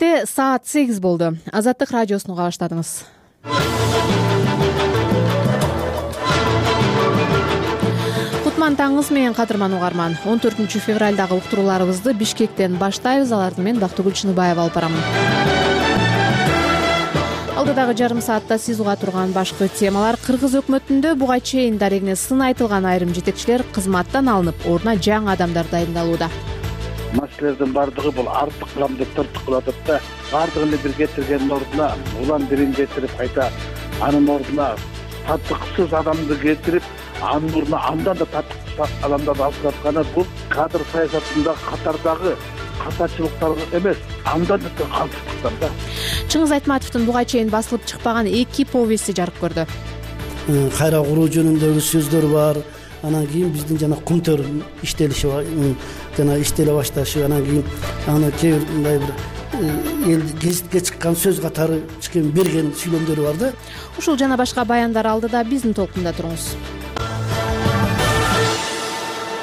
Саат 8 болду. Азаттык радиосуну уга баштадыңыз. Кутман таңыңыз менен кадырман угарман. 14 февралдагы уктурууларыбызды Бишкектен баштайбыз. Аларды мен Бактыгүл Чыныбаева алып барамын. Алдыдагы жарым саатта сиз уга турган башкы темалар: Кыргыз өкмөтүндө буга чейин дарегине сын айтылган айрым жетекчилер кызматтан алынып, ордуна жаңы адамдар дайындалууда. Маселелердин баардыгы бул артык кылам деп тыртык кылып атат да, баардыгын эле бир кетиргендин ордуна улам бирин кетирип кайта анын ордуна татыксыз адамды кетирип, анын ордуна андан да татыксыз адамдарды алып жатканы бул кадр саясатында катардагы катачылыктар эмес, андан да калпсыздыктар да. Чыңгыз Айтматовдун буга чейин басылып чыкпаган 2 повести жарык көрдү. Кайра куруу жөнүндөгү сөздөр бар. Анан кийин биздин жана Кумтөр иштелиши жана иштеле башташы, анан кийин аны кээ бир мындай бир эл гезитке чыккан сөз катары чыккен берген сүйлөмдөрү бар да. Ушул жана башка баяндар алдыда биздин толкунда туруңуз.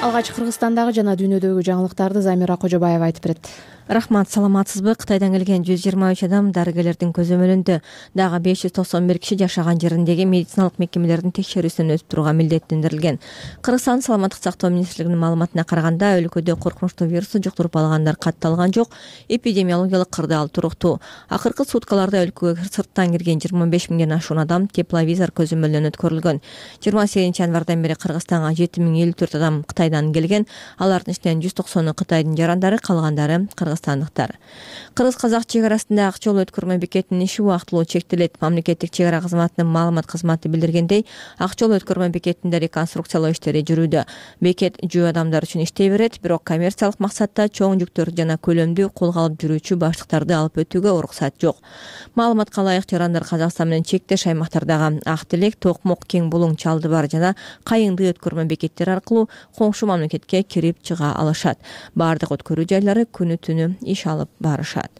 Алгач Кыргызстандагы жана дүйнөдөгү жаңылыктарды Замира Кожобаева айтып берет. Рахмат, саламатсызбы? Кытайдан келген 123 адам дарыгерлердин көзөмөлүндө. Дагы 591 киши жашаган жериндеги медициналык мекемелердин текшерүүсүнөн өтүп турууга милдеттендирилген. Кыргызстан саламаттык сактоо министрлигинин маалыматына караганда, өлкөдө коркунучтуу вирусту жуктуруп алгандар катталган жок, эпидемиологиялык кырдаал туруктуу. Акыркы суткаларда өлкөгө сырттан кирген 25 миңден ашуун адам тепловизор көзөмөлүнөн өткөрүлгөн. 28 январдан бери Кыргызстанга 7054 адам Кытайдан келген. Алардын ичинен 190 Кытайдын жарандары, калгандары кыргызстандыктар. Кыргыз-казак чек арасында ак жол өткөрмө бекетинин иши убактылуу чектелет. Мамлекеттик чек ара кызматынын маалымат кызматы билдиргендей, ак жол өткөрмө бекетинде реконструкциялоо иштери жүрүүдө. Бекет жөө адамдар үчүн иштей берет, бирок коммерциялык максатта чоң жүктөрдү жана көлөмдүү колго алып жүрүүчү баштыктарды алып өтүүгө уруксат жок. Маалыматка ылайык, жарандар Казакстан менен чектеш аймактардагы Ак Телек, Токмок, Кең Булуң, Чалды бар жана Кайыңды өткөрмө бекеттери аркылуу коңшу мамлекетке кирип чыга алышат. Баардык өткөрүү жайлары күнү түнү иш алып барышат.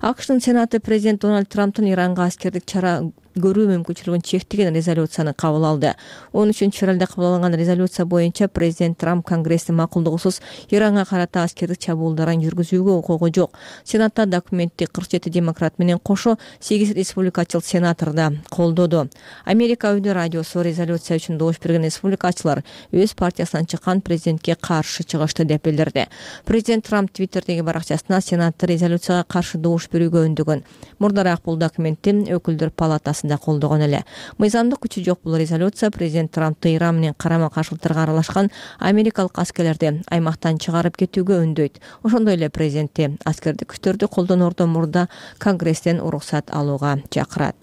АКШтын Сенаты президент Дональд Трамптын Иранга аскердик чара көрүү мүмкүнчүлүгүн чектеген резолюцияны кабыл алды. 13 февралда кабыл алынган резолюция боюнча президент Трамп Конгресстин макулдугусуз Иранга карата аскердик чабуулдарын жүргүзүүгө укугу жок. Сенатта документти 47 демократ менен кошо 8 республикачыл сенатор да колдоду. Америка Өйдө радиосу резолюция үчүн добуш берген республикачылар өз партиясынан чыккан президентке каршы чыгышты деп билдирди. Президент Трамп Твиттердеги баракчасына Сенатты резолюцияга каршы добуш берүүгө өндөгөн. Мурдараак бул документти өкүлдөр палатасы колдогон эле. Мыйзамдык күчү жок бул резолюция президент Трампты Иран менен карама-каршылыктарга аралашкан америкалык аскерлерди аймактан чыгарып кетүүгө үндөйт. Ошондой эле президентти аскердик күчтөрдү колдоноордон мурда Конгресстен уруксат алууга чакырат.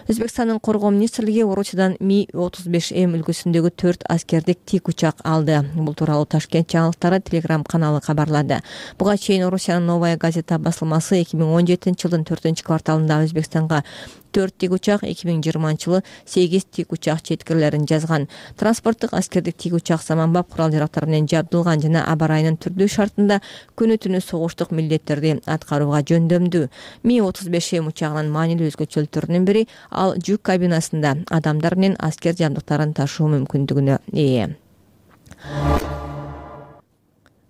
Өзбекстандын коргоо министрлиги Орусиядан Ми-35М үлгүсүндөгү 4 аскердик тик учак алды. Бул тууралуу Ташкент жаңылыктары Telegram каналы кабарлады. Буга чейин Орусиянын Новая газета басылмасы 2017-жылдын 4-кварталында Өзбекстанга 4 тик учак, 2020-жылы 8 тик учак четкирлерин жазган. Транспорттук аскердик тик учак заманбап курал-жарактар менен жабдылган жана аба ырайынын түрдүү шартында күнү түнү согуштук милдеттерди аткарууга жөндөмдүү. Ми-35М учагынын маанилүү өзгөчөлүктөрүнүн бири ал жүк кабинасында адамдар менен аскер жабдыктарын ташуу мүмкүндүгүнө ээ.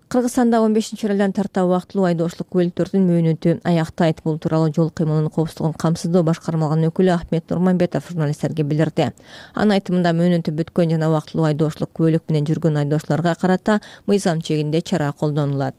Кыргызстанда 15 февралдан тарта убактылуу айдоочулук көлүктөрдүн мөөнөтү аяктайт. Бул тууралуу жол кыймылынын коопсуздугун камсыздоо башкармалыгынын өкүлү Ахмет Нурманбетов журналисттерге билдирди. Анын айтымында мөөнөтү бүткөн жана убактылуу айдоочулук көлүк менен жүргөн айдоочуларга карата мыйзам чегинде чара колдонулат.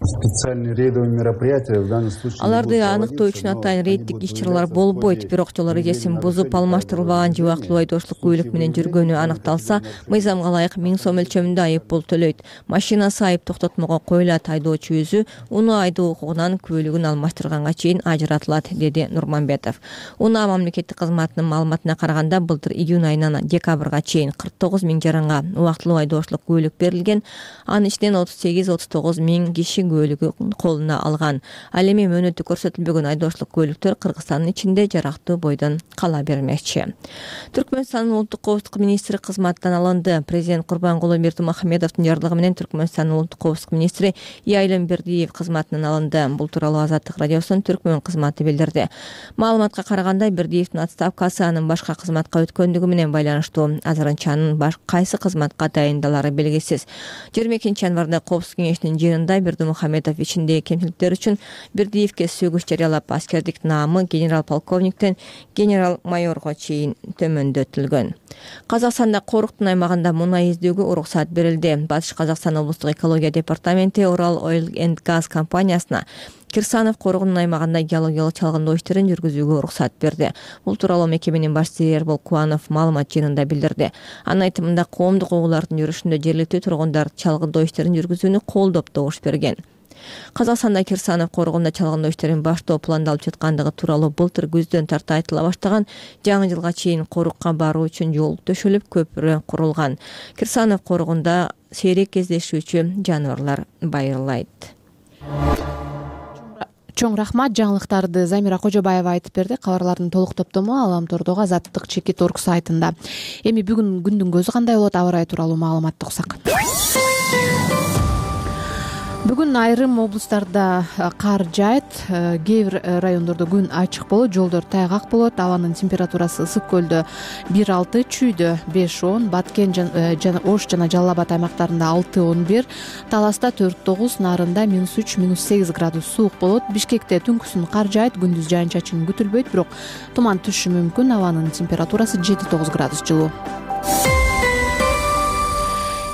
Специальные рейдовые мероприятия в данном случае. Аларды аныктоо үчүн атайын рейдтик иш-чаралар болбойт, бирок жол эрежесин бузуп алмаштырылбаган же убактылуу айдоочулук көлүк менен жүргөнү аныкталса, мыйзамга ылайык 1000 сом өлчөмүндө айып пул төлөйт. Машинасы айып токтотмого коюлат, айдоочу өзү унаа айдоо укугунан көлүгүн алмаштырганга чейин ажыратылат, деди Нурманбетов. Унаа мамлекеттик кызматынын маалыматына караганда, былтыр июнь айынан декабрга чейин 49 миң жаранга убактылуу айдоочулук көлүк берилген. Анын ичинен 38-39 миң киши көлүгү колуна алган. Ал эми мөөнөтү көрсөтүлбөгөн айдоочулук көлүктөр Кыргызстандын ичинде жарактуу бойдон кала бермекчи. Түркмөнстандын улуттук коопсуздук министри кызматтан алынды. Президент Курбангулы Бердимухамедовдун жарлыгы менен Түркмөнстандын улуттук коопсуздук министри Яйлымбердиев кызматынан алынды. Бул тууралуу Азаттык радиосунун Түркмөн кызматы билдирди. Маалыматка караганда, Бердиевдин отставкасы анын башка кызматка өткөндүгү менен байланыштуу. Азырынча анын кайсы кызматка дайындалары белгисиз. 22 январда коопсуздук кеңешинин жыйынында Бердимухамедов Мухамедов ичиндеги кемчиликтер үчүн Бердиевке сөгүш жарыялап, аскердик наамы генерал-полковниктен генерал-майорго чейин төмөндөтүлгөн. Казакстанда Коруктун аймагында мунай издөөгө уруксат берилди. Батыш Казакстан облустук экология департаменти Урал Oil and Gas компаниясына Кирсанов Корогунун аймагында геологиялык чалгындоо иштерин жүргүзүүгө уруксат берди. Бул тууралуу мекеменин башчысы Эрбол Кубанов маалымат жыйынында билдирди. Анын айтымында коомдук угуулардын жүрүшүндө жергиликтүү тургундар чалгындоо иштерин жүргүзүүнү колдоп добуш берген. Казакстанда Кирсанов Корогунда чалгындоо иштерин баштоо пландалып жаткандыгы тууралуу былтыр күздөн тарта айтыла баштаган. Жаңы жылга чейин Корукка баруу үчүн жол төшөлүп, көпүрө курулган. Кирсанов Корогунда сейрек кездешүүчү жаныбарлар байырлайт. Чоң рахмат. Жаңылыктарды Замира Кожобаева айтып берди. Кабарлардын толук топтому Аламтордогу Азаттык Чекит.org сайтында. Эми бүгүн күндүн көзү кандай болот, аба ырайы тууралуу маалыматты уксак. Бүгүн айрым облустарда кар жаайт, кээ бир райондордо күн ачык болот, жолдор тайгак болот. Абанын температурасы Ысык көлдө 1-6, Чүйдө 5-10, Баткен жана Ош жана Жалал Абад аймактарында 6-11, Таласта 4-9, Нарында -3, -8 градус суук болот. Бишкекте түнкүсүн кар жаайт, күндүз жаан-чачын күтүлбөйт, бирок туман түшүшү мүмкүн. Абанын температурасы 7-9 градус жылуу.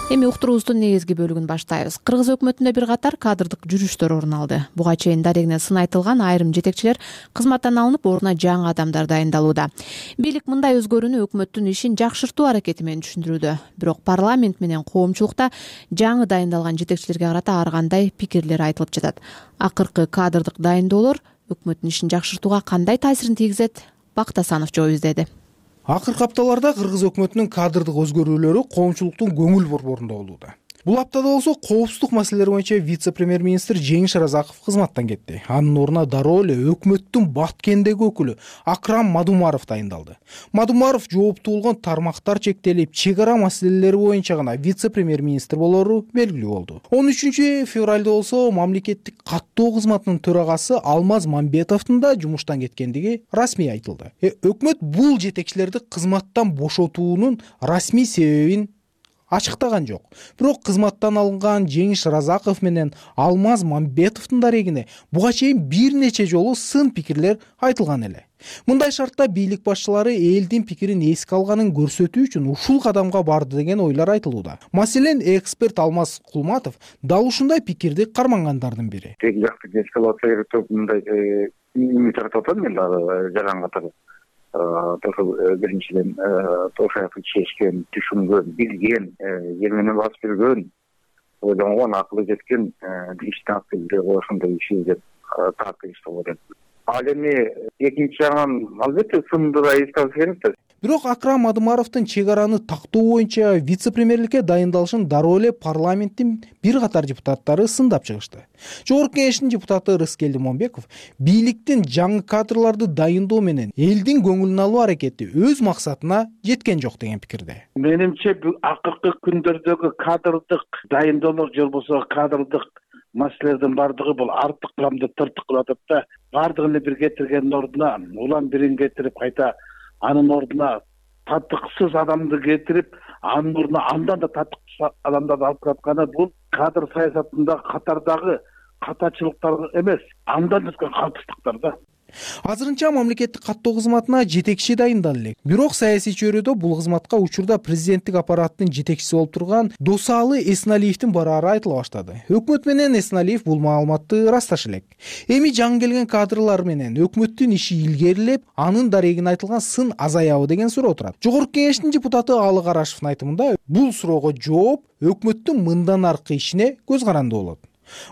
Эми уктуруубуздун негизги бөлүгүн баштайбыз. Кыргыз өкмөтүндө бир катар кадрдык жүрүштөр орун алды. Буга чейин дарегине сын айтылган айрым жетекчилер кызматтан алынып, ордуна жаңы адамдар дайындалууда. Бийлик мындай өзгөрүүнү өкмөттүн ишин жакшыртуу аракети менен түшүндүрүүдө. Бирок парламент менен коомчулукта жаңы дайындалган жетекчилерге карата ар кандай пикирлер айтылып жатат. Акыркы кадрдык дайындоолор өкмөттүн ишин жакшыртууга кандай таасирин тийгизет? Бактасанов жооп издеди. Акыркы апталарда кыргыз өкмөтүнүн кадрдык өзгөрүүлөрү коомчулуктун көңүл борборунда болууда. Бул аптада болсо коопсуздук маселелери боюнча вице-премьер-министр Жеңиш Разаков кызматтан кетти. Анын ордуна дароо эле өкмөттүн Баткендеги өкүлү Акрам Мадумаров дайындалды. Мадумаров жооптуу болгон тармактар чектелип, чек ара маселелери боюнча гана вице-премьер-министр болору белгилүү болду. 13 февралда болсо мамлекеттик каттоо кызматынын төрагасы Алмаз Мамбетовдун да жумуштан кеткендиги расмий айтылды. Өкмөт бул жетекчилерди кызматтан бошотуунун расмий себебин ачыктаган жок. Бирок кызматтан алынган Жеңиш Разаков менен Алмаз Мамбетовдун дарегине буга чейин бир нече жолу сын пикирлер айтылган эле. Мындай шартта бийлик башчылары элдин пикирин эске алганын көрсөтүү үчүн ушул кадамга барды деген ойлор айтылууда. Маселен, эксперт Алмаз Кулматов дал ушундай пикирди кармангандардын бири. Тең жакты эскалация берип мындай үмүт артып атам мен жаран катары. Биринчиден Тошаевди чечкен, түшүнгөн, билген, жер менен басып жүргөн, ойлонгон, акылы жеткен иштин активдери ошондой иш деп таактырышты болот. Ал эми экинчи жагынан албетте сынды да эске алыш керек да. Бирок Акрам Мадумаровдун чек араны тактоо боюнча вице-премьерликке дайындалышын дароо эле парламенттин бир катар депутаттары сындап чыгышты. Жогорку кеңештин депутаты Рыскелди Момбеков бийликтин жаңы кадрларды дайындоо менен элдин көңүлүн алуу аракети өз максатына жеткен жок деген пикирде. Менимче акыркы күндөрдөгү кадрдык дайындоолор же болбосо кадрдык маселелердин бардыгы бул артык кыламды тыртык кылып атат да. Бардыгын эле бир кетиргендин ордуна улам бирин кетирип кайта анын ордуна татыксыз адамды кетирип, анын ордуна андан да татыксыз адамдарды алып жатканы бул кадр саясатында катардагы катачылыктар эмес, андан өткөн калтырдыктар да. Азырынча мамлекеттик каттоо кызматына жетекчи дайындалды элек. Бирок саясий чөйрөдө бул кызматка учурда президенттик аппараттын жетекчиси болуп турган Досалы Эсналиевдин бараары айтыла баштады. Өкмөт менен Эсналиев бул маалыматты расташы элек. Эми жаңы келген кадрлар менен өкмөттүн иши илгерилеп, анын дарегине айтылган сын азаябы деген суроо турат. Жогорку кеңештин депутаты Алы Карашевдин айтымында бул суроого жооп өкмөттүн мындан аркы ишине көз каранды болот.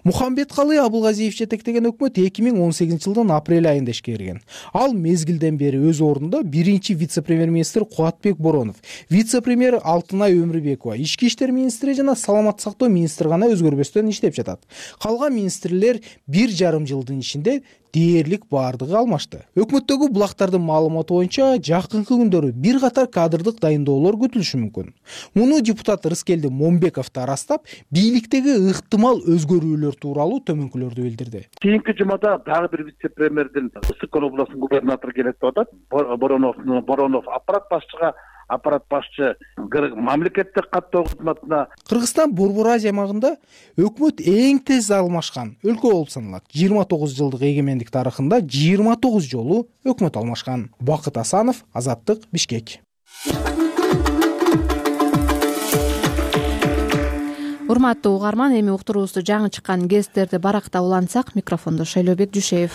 Мухамбеткалы Абылгазиев жетектеген өкмөт 2018 жылдын апрель айында ишке кирген. Ал мезгилден бери өз ордунда биринчи вице-премьер-министр Кубатбек Боронов, вице-премьер Алтынай Өмүрбекова, ички иштер министри жана саламаттык сактоо министри гана өзгөрбөстөн иштеп жатат. Калган министрлер 1,5 жылдын ичинде дээрлик баардыгы алмашты. Өкмөттөгү булактардын маалыматы боюнча жакынкы күндөрү бир катар кадрдык дайындоолор күтүлүшү мүмкүн. Муну депутат Рыскелди Момбеков да растап, бийликтеги ыктымал өзгөрүүлөр тууралуу төмөнкүлөрдү билдирди. Кийинки жумада дагы бир вице-премьердин Ысык көл областынын губернатору келет деп атат. Боронов аппарат башчыга аппарат башчы мамлекеттик каттоо кызматына. Кыргызстан Борбор Азия аймагында өкмөт эң тез алмашкан өлкө болуп саналат. 29 жылдык эгемендик тарыхында 29 жолу өкмөт алмашкан. Бакыт Асанов, Азаттык, Бишкек. Урматтуу угарман, эми уктуруубузду жаңы чыккан гезиттерди баракта улантсак, микрофондо Шайлообек Жушеев.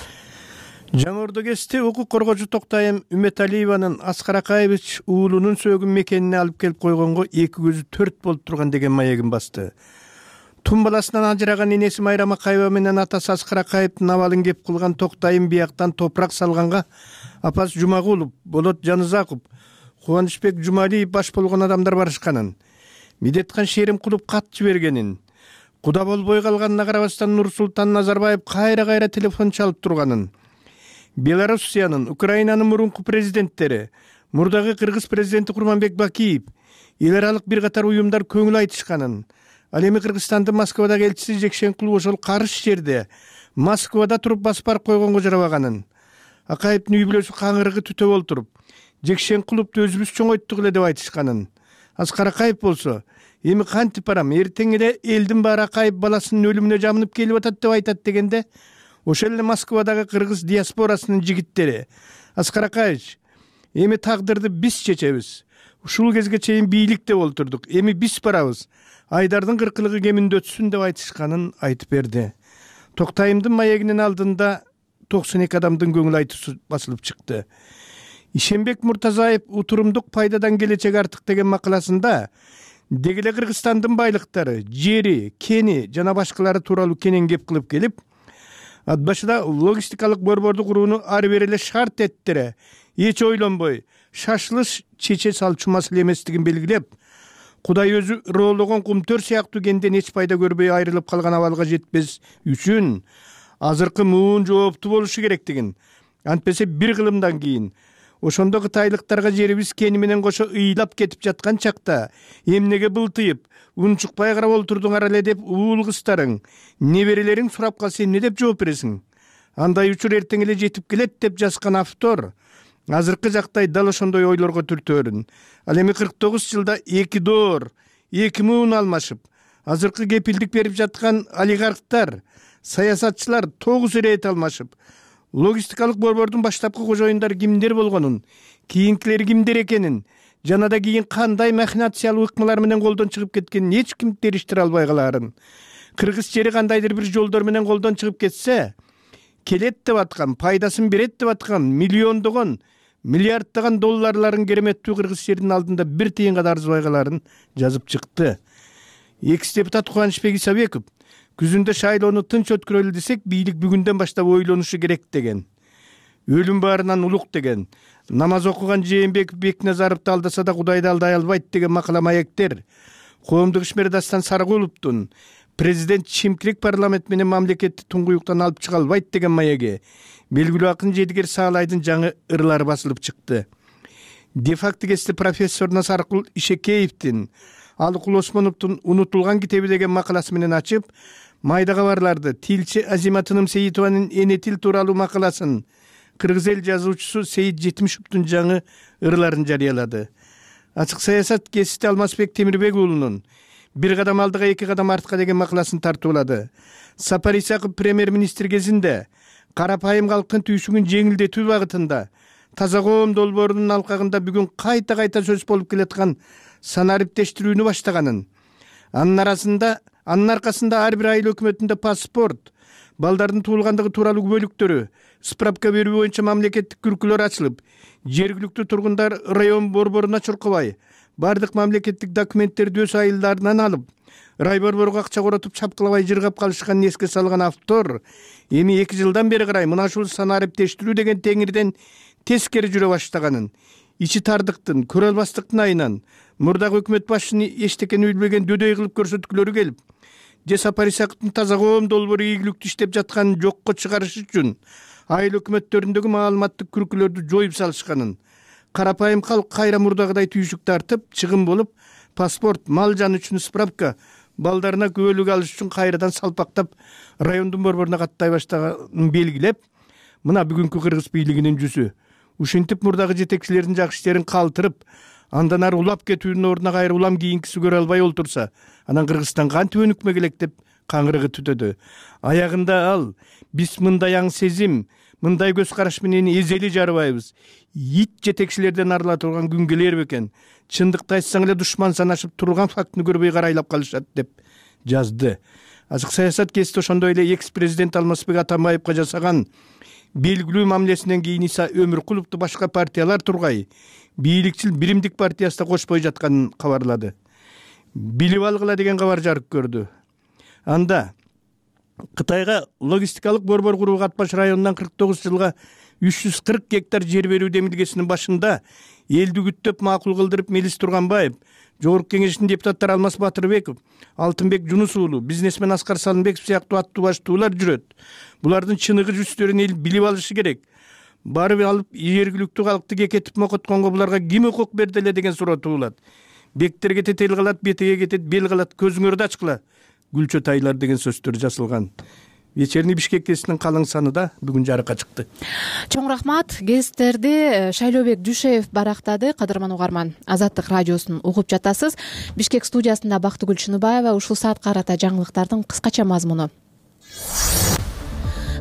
Жаңы Ордо гезити укук коргоочу Токтайым Үмөталиеванын Аскар Акаевич уулунун сөөгүн мекенине алып келип койгонго эки көзү төрт болуп турган деген маегин басты. Тун баласынан ажыраган энеси Майрам Акаева менен атасы Аскар Акаевдин абалын кеп кылган Токтайым бияктан топурак салганга апасы Жумагулов, Болот Жанызаков, Кубанычбек Жумалиев баш болгон адамдар барышканын, Медеткан Шеримкулов кат жибергенин, куда болбой калганына карабастан Нурсултан Назарбаев кайра телефон чалып турганын, Белоруссиянын, Украинанын мурунку президенттери, мурдагы Кыргыз президенти Курманбек Бакиев, эл аралык бир катар уюмдар көңүл айтышканын, ал эми Кыргызстандын Москвадагы элчиси Жекшенкулов ошол карыш жерде Москвада туруп басып барып койгонго жарабаганын, Акаевдин үй бүлөсү каңырыгы түтөп олтуруп, Жекшенкуловду өзүбүз чоңойттук эле деп айтышканын, Аскар Акаев болсо эми кантип барам, эртең эле элдин баары Акаев баласынын өлүмүнө жабынып келип атат деп айтат дегенде, ошол эле Москвадагы кыргыз диаспорасынын жигиттери: Аскар Акаевич, эми тагдырды биз чечебиз. Ушул кезге чейин бийликте олтурдук. Эми биз барабыз. Айдардын кыркылыгы кеминде өтсүн деп айтышканын айтып берди. Токтайымдын маегинин алдында 92 адамдын көңүл айтуусу басылып чыкты. Ишенбек Муртазаев утурумдук пайдадан келечек артык деген макаласында дегеле Кыргызстандын байлыктары, жери, кени жана башкалары тууралуу кенен кеп кылып келип, ат башыда логистикалык борборду курууну ары бери эле шарт эттире, эч ойлонбой шашылыш чече салчу маселе эместигин белгилеп, Кудай өзү ыроологон кумтөр сыяктуу кенден эч пайда көрбөй айрылып калган абалга жетпес үчүн азыркы муун жооптуу болушу керектигин, антпесе бир кылымдан кийин ошондо кытайлыктарга жерибиз кени менен кошо ыйлап кетип жаткан чакта эмнеге былтыйып, унчукпай карап олтурдуңар эле деп уул кыздарың, неберелериң сурап калса эмне деп жооп бересиң? Андай учур эртең эле жетип келет деп жазган автор азыркы жактай дал ошондой ойлорго түртөөрүн. Ал эми 49 жылда 2 доор, 2 муун алмашып, азыркы кепилдик берип жаткан олигархтар, саясатчылар 9 рет алмашып, логистикалык борбордун баштапкы кожоюндары кимдер болгонун, кийинкилери кимдер экенин, жана да кийин кандай махинациялык ыкмалар менен колдон чыгып кеткенин эч ким териштире албай калаарын. Кыргыз жери кандайдыр бир жолдор менен колдон чыгып кетсе, келет деп аткан, пайдасын берет деп аткан миллиондогон, миллиарддаган долларларын кереметтүү кыргыз жердин алдында бир тыйынга да арзыбай калаарын жазып чыкты. Экс-депутат Кубанычбек Исабеков күзүндө шайлоону тынч өткөрөлү десек, бийлик бүгүндөн баштап ойлонушу керек деген. Өлүм баарынан улук деген. Намаз окуган Жээнбеков Бекназаровду алдаса да Кудайды алдай албайт деген макала маектер. Коомдук ишмер Дастан Сарыгуловдун президент чимкирик парламент менен мамлекетти туңгуюктан алып чыга албайт деген маеги белгилүү акын Жедигер Саалайдын жаңы ырлары басылып чыкты. Де-факто кести профессор Насаркул Ишекеевдин Алыкул Осмоновдун Унутулган китеби деген макаласы менен ачып, майда кабарларды тилчи Азима Тыным Сейитованын Эне тил тууралуу макаласын, кыргыз эл жазуучусу Сейит Жетимишевдин жаңы ырларын жарыялады. Ачык саясат гезити Алмазбек Темирбек уулунун Бир кадам алдыга эки кадам артка деген макаласын тартуулады. Сапар Исаков премьер-министр кезинде карапайым калктын түйшүгүн жеңилдетүү багытында таза коом долбоорунун алкагында бүгүн кайта сөз болуп келаткан санариптештирүүнү баштаганын, анын аркасында ар бир айыл өкмөтүндө паспорт, балдардын туулгандыгы тууралуу күбөлүктөрү, справка берүү боюнча мамлекеттик күркүлөр ачылып, жергиликтүү тургундар район борборуна чуркабай, бардык мамлекеттик документтерди өз айылдарынан алып, рай борборго акча коротуп чапкылабай жыргап калышканын эске салган автор эми 2 жылдан бери карай мына ушул санариптештирүү деген теңирден тескери жүрө баштаганын, ичи тардыктын, көрө албастыктын айынан мурдагы өкмөт башчыны эчтекени билбеген дөдөй кылып көрсөткүлөрү келип, же Сапар Исаковдун таза коом долбоору ийгиликтүү иштеп жатканын жокко чыгарыш үчүн айыл өкмөттөрүндөгү маалыматтык күркүлөрдү жоюп салышканын, карапайым калк кайра мурдагыдай түйшүк тартып, чыгым болуп, паспорт, мал жан үчүн справка, балдарына күбөлүк алыш үчүн кайрадан салпактап райондун борборуна каттай баштаганын белгилеп, мына бүгүнкү кыргыз бийлигинин жүзү. Ушинтип мурдагы жетекчилердин жакшы иштерин калтырып, Андан ары улап кетүүнүн ордуна кайра улам кийинкиси көрө албай олтурса, анан Кыргызстан кантип өнүкмө келек деп каңгырыгы түтөдү. Аягында ал биз мындай аң сезим, мындай көз караш менен эзели жарыбайбыз. Ит жетекчилерден арыла турган күн келер бекен. Чындыкты айтсаң эле душман санашып турган фактыны көрбөй карайлап калышат деп жазды. Ачык саясат кести ошондой эле экс-президент Алмазбек Атамбаевга жасаган белгилүү мамилесинен кийин Иса Өмүркуловду башка партиялар тургай бийликчил Биримдик партиясына кошпой жатканын кабарлады. Билип алгыла деген кабар жарык көрдү. Анда Кытайга логистикалык борбор курууга Ат-Баш районунан 49 жылга 340 гектар жер берүү демилгесинин башында элди күттөп макул кылдырып Мелис Турганбаев, Жогорку Кеңештин депутаттары Алмаз Батырбеков, Алтынбек Жунус уулу, бизнесмен Аскар Салымбеков сыяктуу аттуу баштуулар жүрөт. Булардын чыныгы жүздөрүн эл билип алышы керек. Барып алып жергиликтүү калкты кекетип мокотконго буларга ким укук берди эле деген суроо туулат. Бектер кетет, эл калат, бетеге кетет, бел калат, көзүңөрдү ачкыла. Гүлчө тайлар деген сөздөр жазылган. Вечерний Бишкек гезитинин калың саны да бүгүн жарыкка чыкты. Чоң рахмат. Гезиттерди Шайлообек Дүйшеев барактады. Кадырман угарман, Азаттык радиосун угуп жатасыз. Бишкек студиясында Бактыгүл Чыныбаева. Ушул саатка карата жаңылыктардын кыскача мазмуну.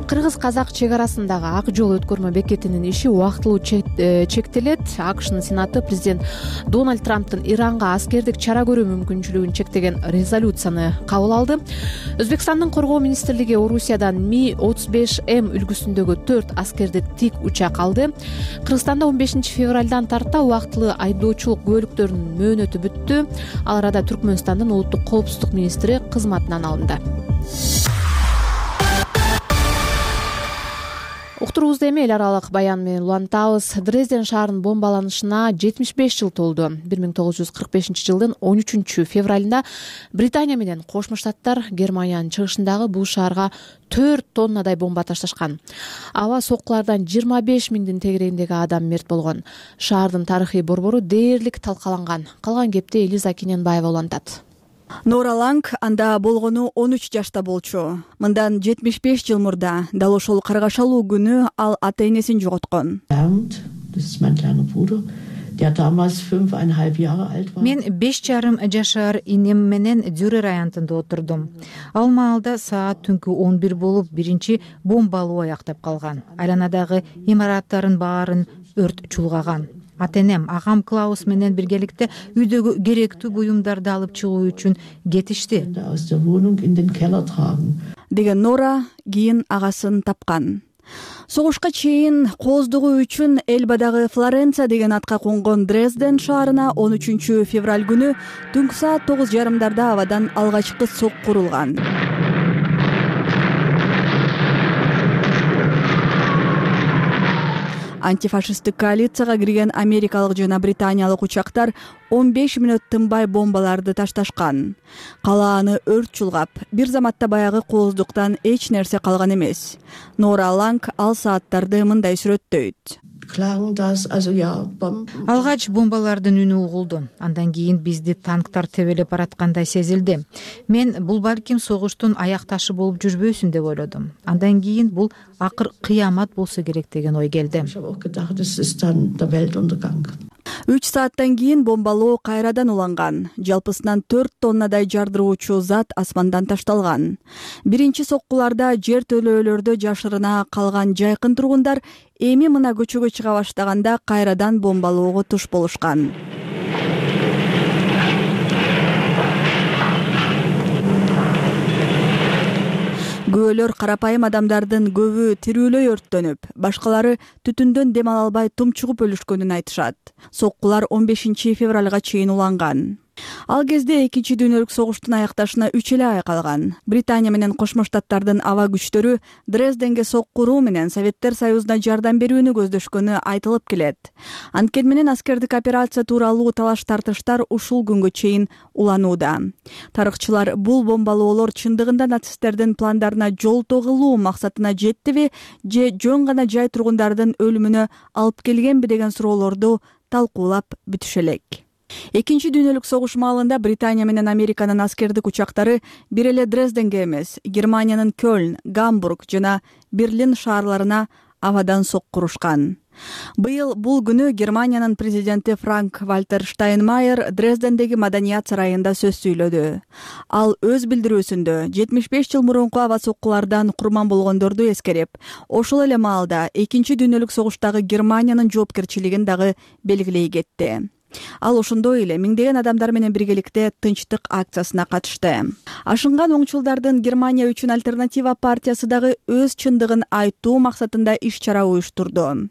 Кыргыз-казак чек арасындагы ак жол өткөрмө бекетинин иши убактылуу чектелет. АКШнын Сенаты президент Дональд Трамптын Иранга аскердик чара көрүү мүмкүнчүлүгүн чектеген резолюцияны кабыл алды. Өзбекстандын коргоо министрлиги Орусиядан Ми-35М үлгүсүндөгү 4 аскердик тик учак алды. Кыргызстанда 15 февралдан тарта убактылуу айдоочулук көлүктөрүнүн мөөнөтү бүттү. Ал арада Түркмөнстандын улуттук коопсуздук министри кызматынан алынды. Уктуруубузду эми эл аралык баян менен улантабыз. Дрезден шаарынын бомбаланышына 75 жыл толду. 1945 жылдын 13 февралында Британия менен Кошмо Штаттар Германиянын чыгышындагы бул шаарга 4 тоннадай бомба ташташкан. Аба соккулардан 25 миңдин тегерегиндеги адам мерт болгон. Шаардын тарыхый борбору дээрлик талкаланган. Калган кепти Элиза Кененбаева улантат. Нора Ланг анда болгону 13 жашта болчу. Мындан 75 жыл мурда дал ошол каргашалуу күнү ал ата энесин жоготкон. Мен 5,5 жашар инем менен Дюрер аянтында отурдум. Ал маалда саат түнкү 11 болуп, биринчи бомбалуу аяктап калган. Айланадагы имараттардын баарын өрт чулгаган. Ата-энем, агам Клаус менен биргеликте үйдөгү керектүү буюмдарды алып чыгуу үчүн кетишти. Деген Нора кийин агасын тапкан. Согушка чейин кооздугу үчүн Элбадагы Флоренция деген атка конгон Дрезден шаарына 13 февраль күнү түнкү саат 9:30 абадан алгачкы сокку урулган. Антифашисттик коалицияга кирген америкалык жана британиялык учактар 15 мүнөт тынбай бомбаларды ташташкан. Калааны өрт чулгап, бир заматта баягы кооздуктан эч нерсе калган эмес. Нора Ланг ал сааттарды мындай сүрөттөйт. Алгач бомбалардын үнү угулду. Андан кийин бизди танктар тебелеп бараткандай сезилди. Мен бул балким согуштун аякташы болуп жүрбөсүн деп ойлодум. Андан кийин бул акыр кыямат болсо керек деген ой келди. 3 сааттан кийин бомбалоо кайрадан уланган. Жалпысынан 4 тоннадай жардыруучу зат асмандан ташталган. Биринчи соккуларда жер төлөөлөрдө жашырына калган жайкын тургундар эми мына көчөгө чыга баштаганда кайрадан бомбалоого туш болушкан. Көөлөр карапайым адамдардын көбү тирүүлөй өрттөнүп, башкалары түтүндөн дем ала албай тумчугуп өлүшкөнүн айтышат. Соккулар 15 февралга чейин уланган. Ал кезде экинчи дүйнөлүк согуштун аякташына 3 эле ай калган. Британия менен Кошмо Штаттардын аба күчтөрү Дрезденге сокку уруу менен Советтер Союзуна жардам берүүнү көздөшкөнү айтылып келет. Анткени менен аскердик операция тууралуу талаш-тартыштар ушул күнгө чейин уланууда. Тарыхчылар бул бомбалоолор чындыгында нацисттердин пландарына жолтоо кылуу максатына жеттиби же жөн гана жай тургундардын өлүмүнө алып келгенби деген суроолорду талкуулап бүтүшө элек. Экинчи дүйнөлүк согуш маалында Британия менен Американын аскердик учактары бир эле Дрезденге эмес, Германиянын Кёльн, Гамбург жана Берлин шаарларына абадан сокку урушкан. Быйыл бул күнү Германиянын президенти Франк-Вальтер Штайнмайер Дрездендеги Маданият сарайында сөз сүйлөдү. Ал өз билдирүүсүндө 75 жыл мурунку аба соккулардан курман болгондорду эскерип, ошол эле маалда Экинчи дүйнөлүк согуштагы Германиянын жоопкерчилигин дагы белгилей кетти. Ал ошондой эле миңдеген адамдар менен биргеликте тынчтык акциясына катышты. Ашынган оңчулдардын Германия үчүн альтернатива партиясы дагы өз чындыгын айтуу максатында иш-чара уюштурду.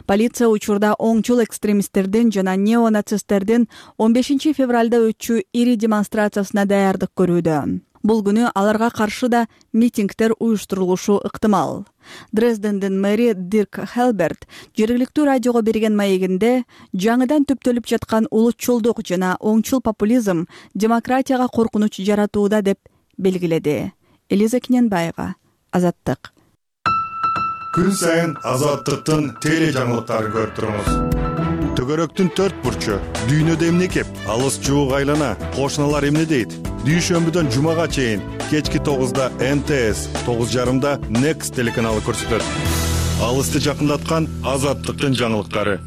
Полиция учурда оңчул экстремисттердин жана неонацисттердин 15 февралда өтчү ири демонстрациясына даярдык көрүүдө. Бул күнү аларга каршы да митингдер уюштурулушу ыктымал. Дрездендин мэри Дирк Хелберт жергиликтүү радиого берген маегинде жаңыдан түптөлүп жаткан улутчулдук жана оңчул популизм демократияга коркунуч жаратууда деп белгиледи. Элиза Киненбаева, Азаттык. Күн сайын Азаттыктын теле жаңылыктарын көрүп туруңуз. Төгөрөктүн 4 бурчу, дүйнөдө эмне кеп, алыс жуук айлана, кошуналар эмне дейт? Дүйшөмбүдөн жумага чейин кечки 9-да НТС, 9:30-да Next телеканалы көрсөтөт. Алысты жакындаткан Азаттыктын жаңылыктары.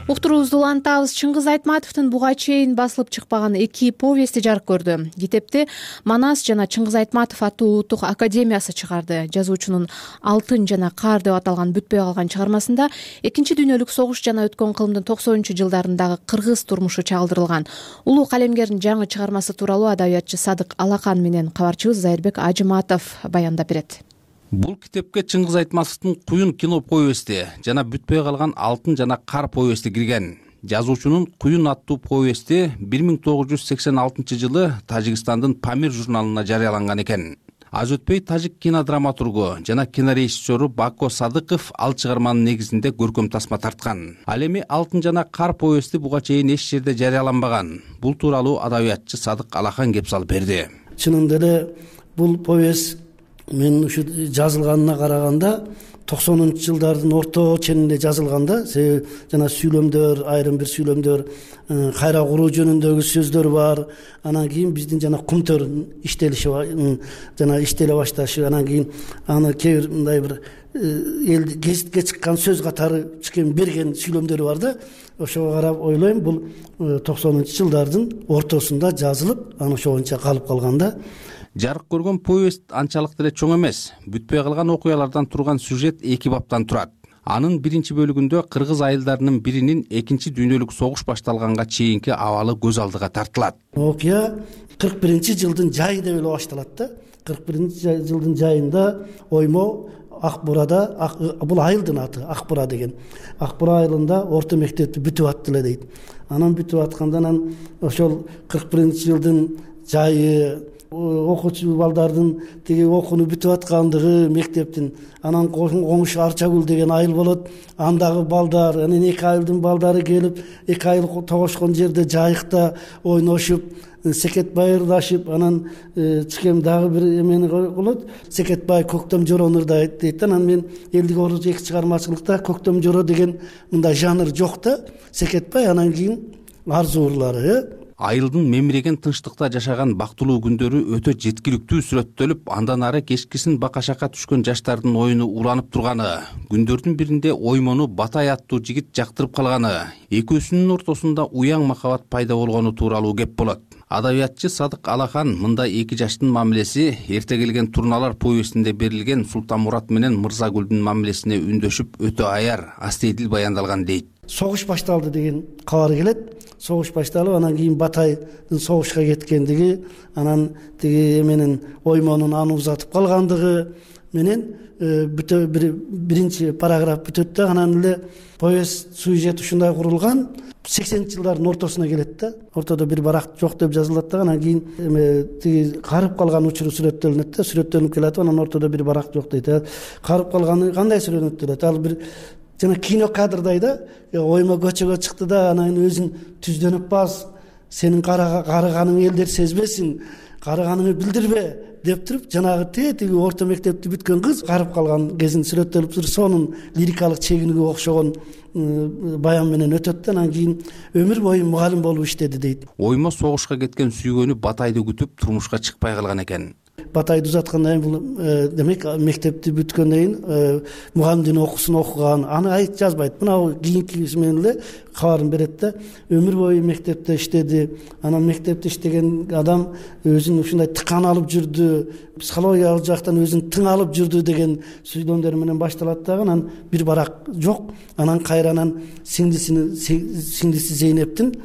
Уктуруубузду улантабыз. Чыңгыз Айтматовдун буга чейин басылып чыкпаган 2 повести жарык көрдү. Китепти Манас жана Чыңгыз Айтматов аттуу улуттук академиясы чыгарды. Жазуучунун Алтын жана Кар деп аталган бүтпөй калган чыгармасында Экинчи дүйнөлүк согуш жана өткөн кылымдын 90-жылдарындагы кыргыз турмушу чагылдырылган. Улуу калемгердин жаңы чыгармасы тууралуу адабиятчы Садык Алакан менен кабарчыбыз Зайырбек Ажыматов баяндап берет. Бул китепке Чыңгыз Айтматовдун Куюн кино повести жана бүтпөй калган Алтын жана Кар повести кирген. Жазуучунун Куюн аттуу повести 1986 жылы Тажикстандын Памир журналына жарыяланган экен. Аз өтпөй тажик кинодраматургу жана кинорежиссеру Бако Садыков ал чыгарманын негизинде көркөм тасма тарткан. Ал эми Алтын жана Кар повести буга чейин эч жерде жарыяланбаган. Бул тууралуу адабиятчы Садык Алакан кеп салып берди. Чынында эле бул повесть мен ушу жазылганына караганда 90-жылдардын орто ченинде жазылганда, себеби жана сүйлөмдөр, айрым бир сүйлөмдөр, кайра куруу жөнүндөгү сөздөр бар. Анан кийин биздин жана Кумтөр иштелиши жана иштеле башташы, анан кийин аны кээ бир мындай бир элди гезитке чыккан сөз катары берген сүйлөмдөрү бар да. Ошого карап ойлойм, бул 90-жылдардын ортосунда жазылып, анан ошо боюнча калып калганда. Жарык көргөн повест анчалык деле чоң эмес. Бүтпөй калган окуялардан турган сюжет 2 баптан турат. Анын биринчи бөлүгүндө кыргыз айылдарынын биринин Экинчи дүйнөлүк согуш башталганга чейинки абалы көз алдыга тартылат. Окуя 41-жылдын жайы деп эле башталат да. 41-жылдын жайында Оймо Акбурада, бул айылдын аты Акбура деген. Акбура айылында орто мектепти бүтүп аттылы дейт. Анан бүтүп аткандан ошол 41-жылдын жайы, окуучу балдардын тиги окууну бүтүп аткандыгы мектептин, анан коңуш Арчагүл деген айыл болот, андагы балдар, анан 2 айылдын балдары келип, 2 айыл тогошкон жерде жайыкта ойношуп, секетбай ырдашып, анан чыкем дагы бир эмени болот. Секетбай Көктөм Жорону ырдайт дейт. Анан мен элдик орус эки чыгармачылыкта Көктөм Жоро деген мындай жанр жок да. Секетбай, анан кийин арзу ырлары. Айылдын мемиреген тынчтыкта жашаган бактылуу күндөрү өтө жеткиликтүү сүрөттөлүп, андан ары кечкисин бакашакка түшкөн жаштардын оюну уланып турганы, күндөрдүн биринде Оймону Батай аттуу жигит жактырып калганы, экөөсүнүн ортосунда уяң махабат пайда болгону тууралуу кеп болот. Адабиятчы Садык Алакан мындай 2 жаштын мамилеси эрте келген Турналар повестинде берилген Султанмурат менен Мырзагүлдүн мамилесине үндөшүп өтө аяр, астейдил баяндалган дейт. Согуш башталды деген кабар келет. Согуш башталып, анан кийин Батайдын согушка кеткендиги, анан тиги эменин Оймонун аны узатып калгандыгы менен бүтө биринчи параграф бүтөт да, анан эле повесть сюжет ушундай курулган. 80-жылдардын ортосуна келет да. Ортодо бир барак жок деп жазылат да, анан кийин тиги карып калган учуру сүрөттөлүнөт да, сүрөттөлүнүп келатып, анан ортодо бир барак жок дейт. Карып калганы кандай сүрөттөлөт? Ал бир жана кино кадрдай да, Оймо көчөгө чыкты да, анан өзүн түздөнүп баз, сенин карыганың элдер сезбесин, карыганыңы билдирбе деп туруп, жанагы тетиги орто мектепти бүткөн кыз карып калган кезин сүрөттөлүп туруп, сонун лирикалык чегиниге окшогон баян менен өтөт да, анан кийин өмүр бою мугалим болуп иштеди дейт. Оймо согушка кеткен сүйгөнү Батайды күтүп турмушка чыкпай калган экен. батайды узаткандан кийин бул демек мектепти бүткөндөн кийин мугалимдин окуусун окуган, аны айт жазбайт. Мына кийинкиси менен эле кабарын берет да. Өмүр бою мектепте иштеди. Анан мектепте иштеген адам өзүн ушундай тыкан алып жүрдү, психологиялык жактан өзүн тың алып жүрдү деген сүйлөмдөр менен башталат дагы. Анан бир барак жок. Анан кайранан сиңдиси Зейнептин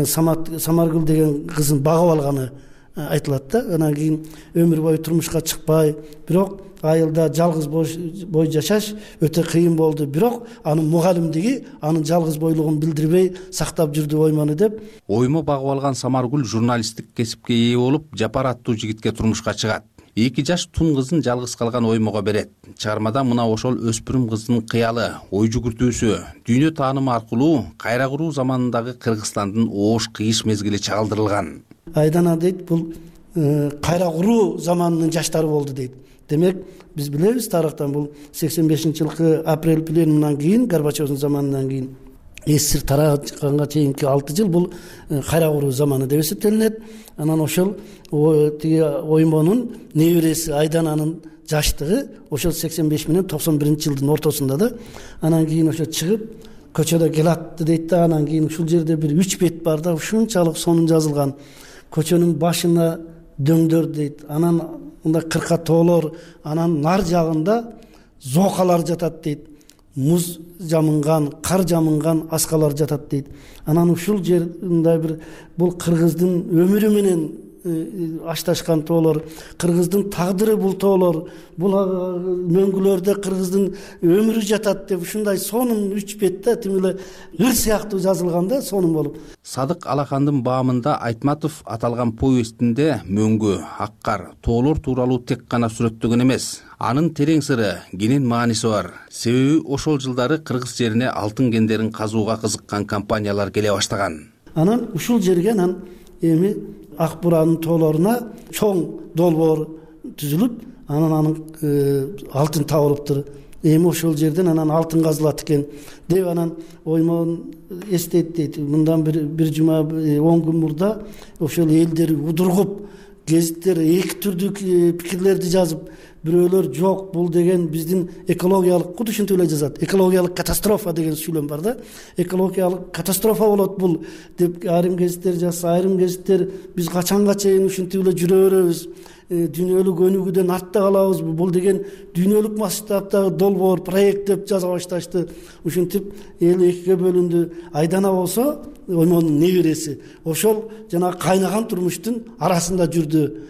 Самаргүл деген кызын багып алганы айтылат да. Анан кийин өмүр бою турмушка чыкпай, бирок айылда жалгыз бой жашаш өтө кыйын болду. Бирок анын мугалимдиги анын жалгыз бойлугун билдирбей сактап жүрдү оймону деп. Оймо багып алган Самаргүл журналисттик кесипке ээ болуп, Жапар аттуу жигитке турмушка чыгат. 2 жаш тун кызын жалгыз калган оймого берет. Чыгармада мына ошол өспүрүм кыздын кыялы, ой жүгүртүүсү, дүйнө таанымы аркылуу кайра куруу заманындагы Кыргызстандын оош кыйыш мезгили чагылдырылган. Айдана дейт, бул кайра куруу заманынын жаштары болду дейт. Демек, биз билебиз тарыхтан бул 85-жылкы апрель пленумунан кийин, Горбачевдун заманынан кийин СССР тараганга чейинки 6 жыл бул кайра куруу заманы деп эсептелинет. Анан ошол оймонун небереси Айдананын жаштыгы ошол 85 менен 91-жылдын ортосунда да. Анан кийин ошо чыгып көчөдө келатты дейт да. Анан кийин ушул жерде бир 3 бет бар да, ушунчалык сонун жазылган. Көчөнүн башына дөңдөр дейт. Анан мында кырка тоолор, анан нар жагында зоокалар жатат дейт. Муз жамынган, кар жамынган аскалар жатат дейт. Анан ушул жер мындай бир бул кыргыздын өмүрү менен ашташкан тоолор, кыргыздын тагдыры бул тоолор, бул мөңгүлөрдө кыргыздын өмүрү жатат деп ушундай сонун 3 бетте тим эле ыр сыяктуу жазылган да, сонун болуп. Садык Алахандын баамында Айтматов аталган повестинде мөңгү, аккар, тоолор тууралуу тек гана сүрөттөгөн эмес, анын терең сыры, кенен мааниси бар. Себеби ошол жылдары кыргыз жерине алтын кендерин казууга кызыккан компаниялар келе баштаган. Анан ушул жерге анан эми Ак Буранын тоолоруна чоң долбоор түзүлүп, анан алтын табылыптыр. Эми ошол жерден анан алтын казылат экен деп анан оймон эстейт дейт. Мындан бир жума 10 күн мурда ошол элдер удургуп, гезиттер эки түрдүү пикирлерди жазып, бирөөлөр жок, бул деген биздин экологиялык, куд ушинтип эле жазат. Экологиялык катастрофа деген сүйлөм бар да. Экологиялык катастрофа болот бул деп айрым гезиттер жазса, айрым гезиттер биз качанга чейин ушинтип эле жүрө беребиз, дүйнөлүк өнүгүүдөн артта калабызбы, бул деген дүйнөлүк масштабтагы долбоор, проект деп жаза башташты. Ушинтип эл экиге бөлүндү. Айдана болсо оймонун небереси, ошол жана кайнаган турмуштун арасында жүрдү.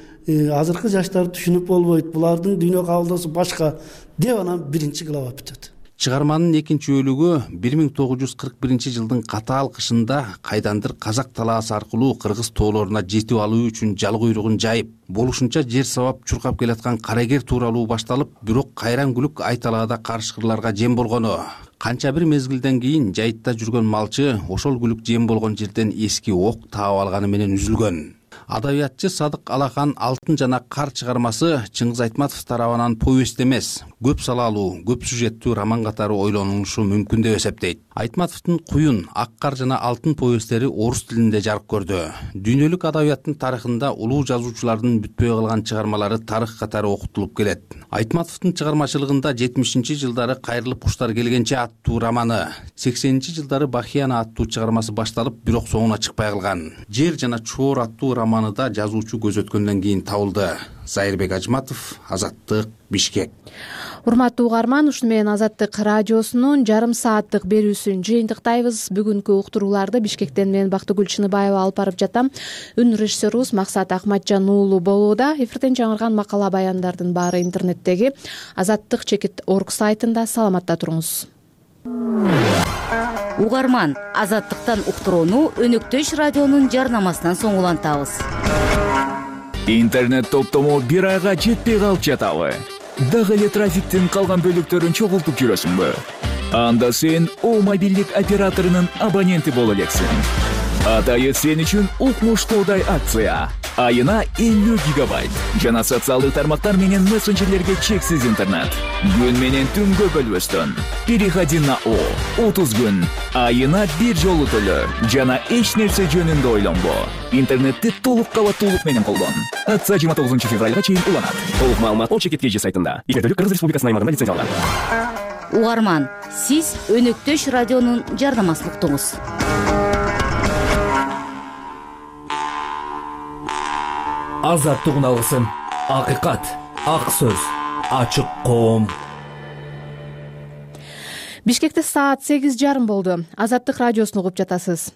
Азыркы жаштар түшүнүп болбойт, булардын дүйнө кабылдоосу башка деп анан 1-глава бүтөт. Чыгарманын 2-бөлүгү 1941-жылдын катаал кышында кайдандыр казак талаасы аркылуу кыргыз тоолоруна жетип алуу үчүн жал куйругун жайып, болушунча жер сабап чуркап келаткан карагер тууралуу башталып, бирок кайран күлүк айталаада карышкырларга жем болгону. Канча бир мезгилден кийин жайытта жүргөн малчы ошол күлүк жем болгон жерден эски ок таап алганы менен үзүлгөн. Адабиятчы Садык Алахан Алтын жана кар чыгармасы Чыңгыз Айтматов тарабынан повест эмес, көп салалуу, көп сюжеттүү роман катары ойлонулушу мүмкүн деп эсептейт. Айтматовдун Куюн, Аккар жана Алтын повесттери орус тилинде жарык көрдү. Дүйнөлүк адабияттын тарыхында улуу жазуучулардын бүтпөй калган чыгармалары тарых катары окутулуп келет. Айтматовдун чыгармачылыгында 70-жылдары Кайрылып куштар келгенче аттуу романы, 80-жылдары Бахияна аттуу чыгармасы башталып, бирок соңуна чыкпай калган. Жер жана Чоор аттуу романыда жазуучу көз өткөндөн кийин табылды. Зайырбек Ажматов, Азаттык, Бишкек. Урматтуу угарман, ушуну менен Азаттык радиосунун жарым сааттык берүүсүн жыйынтыктайбыз. Бүгүнкү уктурууларды Бишкектен мен Бактыгүл Чыныбаева алып барып жатам. Үн режиссерубуз Максат Акматжан уулу болууда. Эфирден жаңырган макала баяндардын баары интернеттеги Азаттык.org сайтында. Саламатта туруңуз. Угарман, Азаттыктан уктурууну Өнөктөш радионун жарнамасынан соң улантабыз. Интернет топтому бир айга жетпей калып жатабы? Дагы эле трафиктин калган бөлүктөрүн чогултуп жүрөсүңбү? Анда сен О мобилдик операторунун абоненти боло элексиң. Атайы сен үчүн укмуштуудай акция. айына 50 гигабайт жана социалдык тармактар менен мессенджерлерге чексиз интернет. Күн менен түнгө бөлбөстөн. Переходи на О. 30 күн. Айына бир жолу төлө жана эч нерсе жөнүндө ойлонбо. Интернетти толук кабаттуулук менен колдон. Акция 29 февралга чейин уланат. Толук маалымат О-чекетке сайтында. Эфирдүүлүк Кыргыз Республикасынын аймагында лицензияланган. Угарман, сиз Өнөктөш радионун жардамасын уктуңуз. Азаттык алгысын, акыйкат, ак сөз, ачык коом. Бишкекте саат 8:30 болду. Азаттык радиосун угуп жатасыз.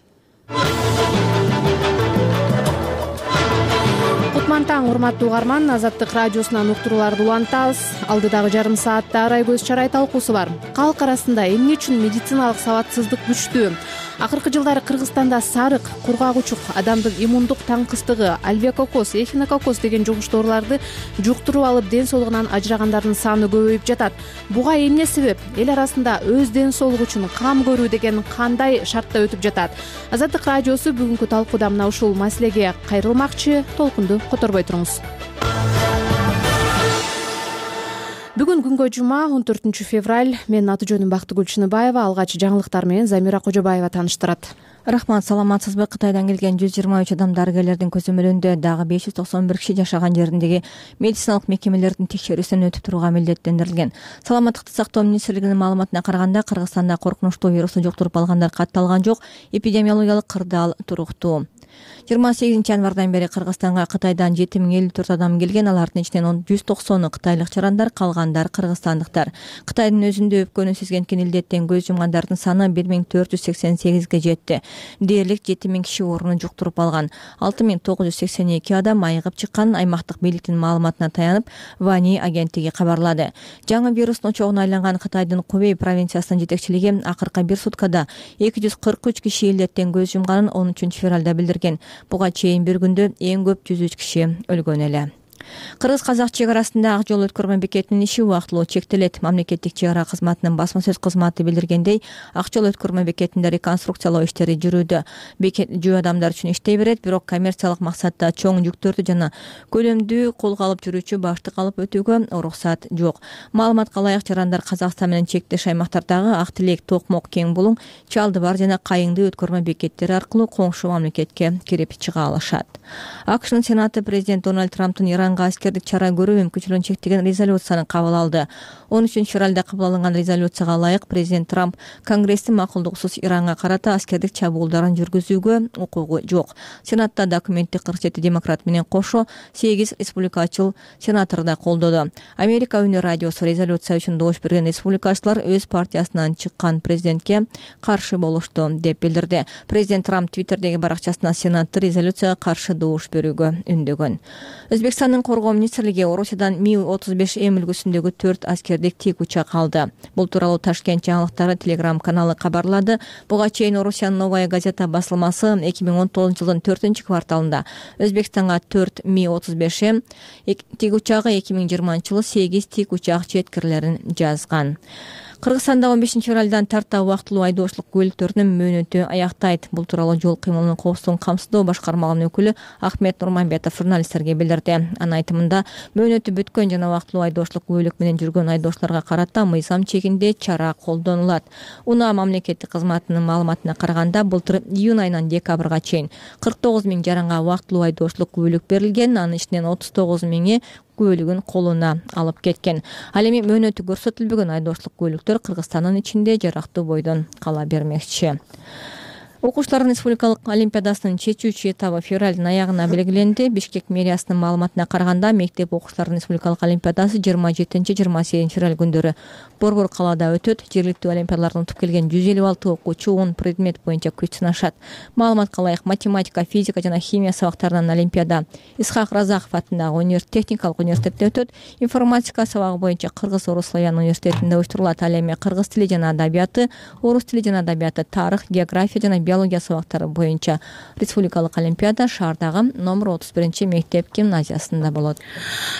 Кутман таң, урматтуу угарман. Азаттык радиосунан уктурууларды улантабыз. Алдыдагы жарым саатта арай көз чарай талкуусу бар. Калк арасында эмне үчүн медициналык сабатсыздык күчтүү? Акыркы жылдары Кыргызстанда сарык, кургагучук, адамдын иммундук таңкыстыгы, альвеококкоз, эхинококкоз деген жугуш ооруларды жуктуруп алып ден соолугунан ажырагандардын саны көбөйүп жатат. Буга эмне себеп? Эл арасында өз ден соолугу үчүн кам көрүү деген кандай шартта өтүп жатат? Азаттык радиосу бүгүнкү талкууда мына ушул маселеге кайрылмакчы. Толкунду которбой туруңуз. Бүгүн күнгө жума 14 февраль. Менин аты жөнүм Бактыгүл Чыныбаева. Алгач жаңылыктар менен Замира Кожобаева тааныштырат. Рахмат, саламатсызбы? Кытайдан келген 123 адам дарыгерлердин көзөмөлүндө дагы 591 киши жашаган жериндеги медициналык мекемелердин текшерүүсүнөн өтүп турууга милдеттендирилген. Саламаттыкты сактоо министрлигинин маалыматына караганда, Кыргызстанда коркунучтуу вирусту жуктуруп алгандар катталган жок. Эпидемиологиялык кырдаал туруктуу. 28 январдан бери Кыргызстанга Кытайдан 7054 адам келген. Алардын ичинен 190 кытайлык жарандар, калгандар кыргызстандыктар. Кытайдын өзүндө өпкөнү сезгенкен илдеттен көз жумгандардын саны 1488ге жетти. Дээрлик 7000 киши ооруну жуктуруп алган. 6982 адам айыгып чыккан. Аймактык бийликтин маалыматына таянып, Вани агенттиги кабарлады. Жаңы вирустун очогуна айланган Кытайдын Кубей провинциясынын жетекчилиги акыркы бир суткада 243 киши илдеттен көз жумганын 13 февралда билдирген. Буга чейин bir күндө эң көп 103 киши өлгөн эле. Кыргыз-казак чек арасында ак жол өткөрмө бекетинин иши убактылуу чектелет. Мамлекеттик чек ара кызматынын басма сөз кызматы билдиргендей, ак жол өткөрмө бекетинде реконструкциялоо иштери жүрүүдө. Бекет жөө адамдар үчүн иштей берет, бирок коммерциялык максатта чоң жүктөрдү жана көлөмдүү колго алып жүрүүчү баштык алып өтүүгө уруксат жок. Маалыматка ылайык, жарандар Казакстан менен чектеш аймактардагы Ак Тилек, Токмок, Кең Булуң, Чалды бар жана Кайыңды өткөрмө бекеттери аркылуу коңшу мамлекетке кирип чыга алышат. АКШнын Сенаты президент Дональд Трамптын Иранга аскердик чара көрүү мүмкүнчүлүгүн чектеген резолюцияны кабыл алды. 13 февралда кабыл алынган резолюцияга ылайык президент Трамп Конгресстин макулдугусуз Иранга карата аскердик чабуулдарын жүргүзүүгө укугу жок. Сенатта документти 47 демократ менен кошо 8 республикачыл сенатор да колдоду. Америка Үнү радиосу резолюция үчүн добуш берген республикачылар өз партиясынан чыккан президентке каршы болушту деп билдирди. Президент Трамп Твиттердеги баракчасына Сенатты резолюцияга каршы добуш берүүгө үндөгөн. Өзбекстандын коргоо министрлиги Орусиядан Ми-35М үлгүсүндөгү 4 аскердик тик учак алды. Бул тууралуу Ташкент жаңылыктары Телеграм каналы кабарлады. Буга чейин Орусиянын Новая газета басылмасы 2019 жылдын 4-кварталында Өзбекстанга 4 Ми-35М тик учагы, 2020 жылы 8 тик учак жеткирилерин жазган. Кыргызстанда 15 февралдан тарта убактылуу айдоочулук көлүктөрүнүн мөөнөтү аяктайт. Бул тууралуу жол кыймылынын коопсуздугун камсыздоо башкармалыгынын өкүлү Ахмет Нурманбетов журналисттерге билдирди. Анын айтымында, мөөнөтү бүткөн жана убактылуу айдоочулук көлүк менен жүргөн айдоочуларга карата мыйзам чегинде чара колдонулат. УНА мамлекеттик кызматынын маалыматына караганда, былтыр июнь айынан декабрга чейин 49 000 жаранга убактылуу айдоочулук көлүк берилген. Анын ичинен 39 000 көлүгүн колуна алып кеткен. Ал эми мөөнөтү көрсөтүлбөгөн айдоочулук көлүктөр Кыргызстандын ичинде жарактуу бойдон кала бермекчи. Окуучулардын республикалык олимпиадасынын чечүүчү этабы февралдын аягына белгиленди. Бишкек мэриясынын маалыматына караганда, мектеп окуучулардын республикалык олимпиадасы 27-28 февраль күндөрү Борбор калаада өтөт. Жергиликтүү олимпиадалардан утуп келген 156 окуучу 10 предмет боюнча күч сынашат. Маалыматка ылайык, математика, физика жана химия сабактарынан олимпиада Исхак Разаков атындагы техникалык университетте өтөт. Информатика сабагы боюнча Кыргыз Орус Славян университетинде уюштурулат. Ал эми кыргыз тили жана адабияты, орус тили жана адабияты, тарых, география жана биология сабактары боюнча республикалык олимпиада шаардагы номер 31 мектеп гимназиясында болот.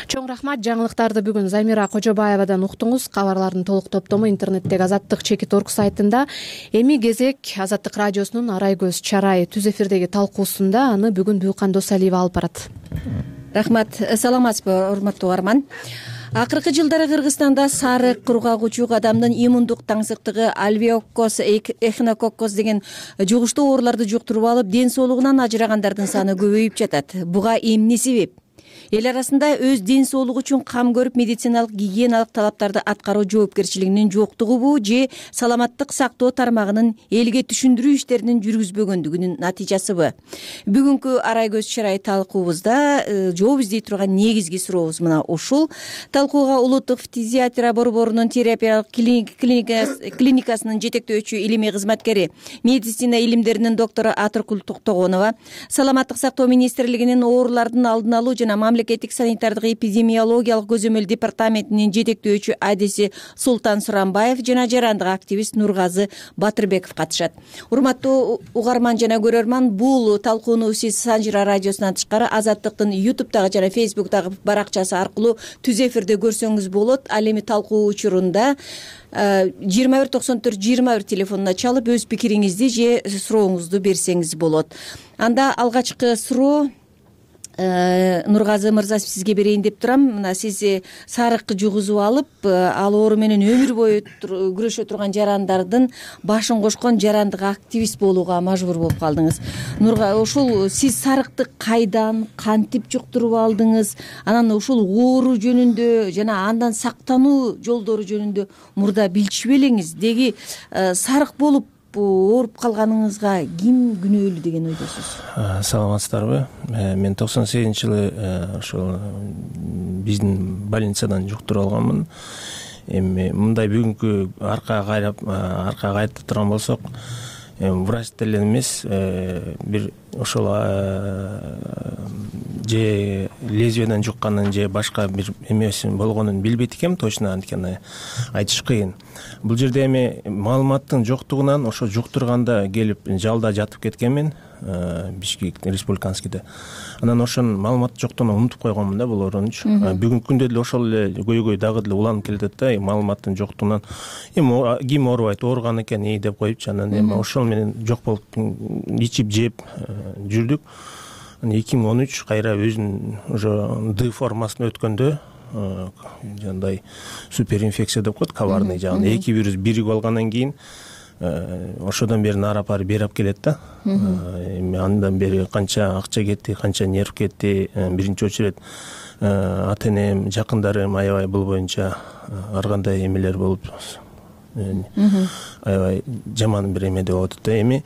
Чоң рахмат. Жаңылыктарды бүгүн Замира Кожобаевадан уктуңуз. Кабарлардын толук топтому интернеттеги azattik.org сайтында. Эми кезек Азаттык радиосунун Арай көз чарай түз эфирдеги талкуусунда. Аны бүгүн Бүйкан Досалиева алып барат. Рахмат. Саламатсызбы, урматтуу угарман. Акыркы жылдары Кыргызстанда сарык, кургагучу адамдын иммундук таңсыктыгы альвеоккоз, эхинококкоз деген жугуштуу ооруларды жуктуруп алып, ден соолугунан ажырагандардын саны көбөйүп жатат. Буга эмне себеп? Эл арасында өз ден соолугу үчүн кам көрүп, медициналык гигиеналык талаптарды аткаруу жоопкерчилигинин жоктугубу же саламаттык сактоо тармагынын элге түшүндүрүү иштерин жүргүзбөгөндүгүнүн натыйжасыбы? Бүгүнкү Арай көз чарай талкуубузда жооп издей турган негизги сурообуз мына ушул. Талкууга улуттук фтизиатрия борборунун терапиялык клиникасынын жетектөөчү илимий кызматкери, медицина илимдеринин доктору Атыркул Токтогонова, саламаттык сактоо министрлигинин оорулардын алдын алуу жана мамлекеттик санитардык эпидемиологиялык көзөмөл департаментинин жетектөөчү адиси Султан Суранбаев жана жарандык активист Нургазы Батырбеков катышат. Урматтуу угарман жана көрөрман, бул талкууну сиз Санжира радиосунан тышкары Азаттыктын YouTube'дагы жана Facebook'дагы баракчасы аркылуу түз эфирде көрсөңүз болот. Ал эми талкуу учурунда 2194-21 телефонуна чалып өз пикириңизди же сурооңузду берсеңиз болот. Анда алгачкы суроо Нургазы мырза, сизге берейин деп турам. Мына сиз сарыкты жугузуп алып, ал оору менен өмүр бою күрөшө турган жарандардын башын кошкон жарандык активист болууга мажбур болуп калдыңыз. Ушул сиз сарыкты кайдан, кантип жуктуруп алдыңыз? Анан ушул оору жөнүндө жана андан сактануу жолдору жөнүндө мурда билчү белеңиз? Деги сарык болуп ооруп калганыңызга ким күнөөлүү деген ойдосуз? Саламатсыздарбы? Мен 98-жылы ошол биздин больницадан жуктуруп алганмын. Эми мындай бүгүнкү аркага кайтып турган болсок, врач деле эмес, бир ошол же лезвиядан жукканын же башка бир эмеси болгонун билбейт экенм, точно анткени айтыш кыйын. Бул жерде эми маалыматтын жоктугунан ошо жуктурганда келип жалда жатып кеткенмин, Бишкек республиканскийде. Анан ошонун маалымат жоктугунан унутуп койгонмун да бул оорунучу. Бүгүнкү күндө деле ошол эле көйгөй дагы деле уланып келатат да, маалыматтын жоктугунан. Эми ким оорубайт, ооруган экен деп коюпчу. Анан эми ошол менен жок болуп ичип жеп жүрдүк. 2013 кайра өзүнүн уже Д формасына өткөндө жандай суперинфекция деп коет, коварный жагы. Эки вирус бирип алгандан кийин ошодон бери нара пары берип келет да. Эми андан бери канча акча кетти, канча нерв кетти. Биринчи очередь ата-энем, жакындарым аябай бул боюнча ар кандай эмелер болуп, аябай жаман бир эме деп атат да. Эми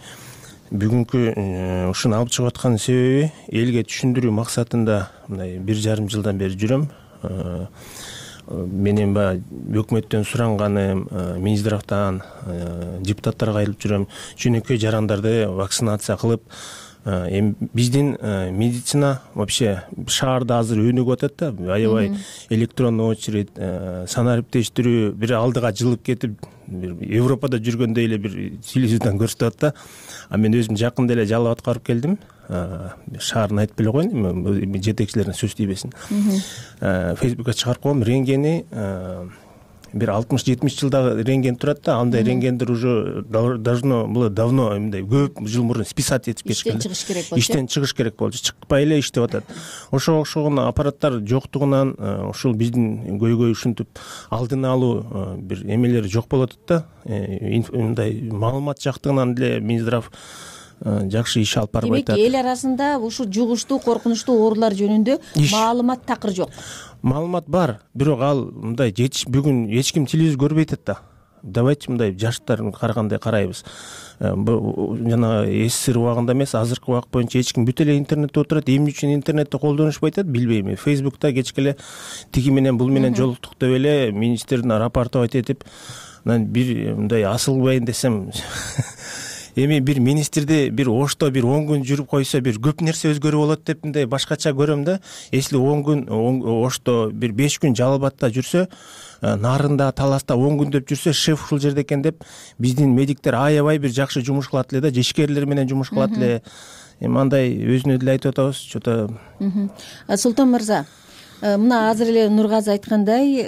бүгүнкү ушуну алып чыгып аткан себеби элге түшүндүрүү максатында мындай 1,5 жылдан бери жүрөм. Менин өкмөттөн суранганым, Минздравдан депутаттарга айтып жүрөм, жөнөкөй жарандарды вакцинация кылып, эми биздин медицина вообще шаарда азыр өнүгүп атат да, аябай электронный очередь, санариптештирүү бир алдыга жылып кетип, Европада жүргөндөй эле бир телевизордон көрсөтөт да. А мен өзүм жакында эле жалал абадка барып келдим. Шаарын айтып эле коеюн, жетекчилерине сөз тийбесин. Фейсбукка чыгарып койгом, рентгени бир 60-70 жылдагы рентген турат да, андай рентгендер уже давно мындай көп жыл мурун списать этип кетишкен. Иштен чыгыш керек болчу, чыкпай эле иштеп атат. Ошого окшогон аппараттар жоктугунан ушул биздин көйгөй ушинтип алдын алуу бир эмелери жок болуп атат да. Мындай маалымат жактыгынан деле Минздрав жакшы иш алып барбай атат. Демек, эл арасында ушул жугуштуу, коркунучтуу оорулар жөнүндө маалымат такыр жок. Маалымат бар, бирок ал мындай бүгүн эч ким телевизор көрбөйт да. Давайте мындай жаштардын карагандай карайбыз. Жана СССР убагында эмес, азыркы убак боюнча эч ким бүт эле интернетте отурат. Эмне үчүн интернетти колдонушпайт атат, билбейм. Фейсбукта кечке эле тиги менен бул менен жолуктук деп эле министрдин рапорту айтып, анан бир мындай асылбайын десем эми бир министрди бир Ошто бир 10 күн жүрүп койсо бир көп нерсе өзгөрүп болот деп мындай башкача көрөм да. Если 10 күн Ошто бир 5 күн Жалал Абадта жүрсө, Нарында, Таласта 10 күндөп жүрсө, шеф ушул жерде экен деп биздин медиктер аябай бир жакшы жумуш кылат эле да, ишкерлер менен жумуш кылат эле. Эми андай өзүнө деле айтып атабыз, что-то. Султан мырза, мына азыр эле Нургазы айткандай,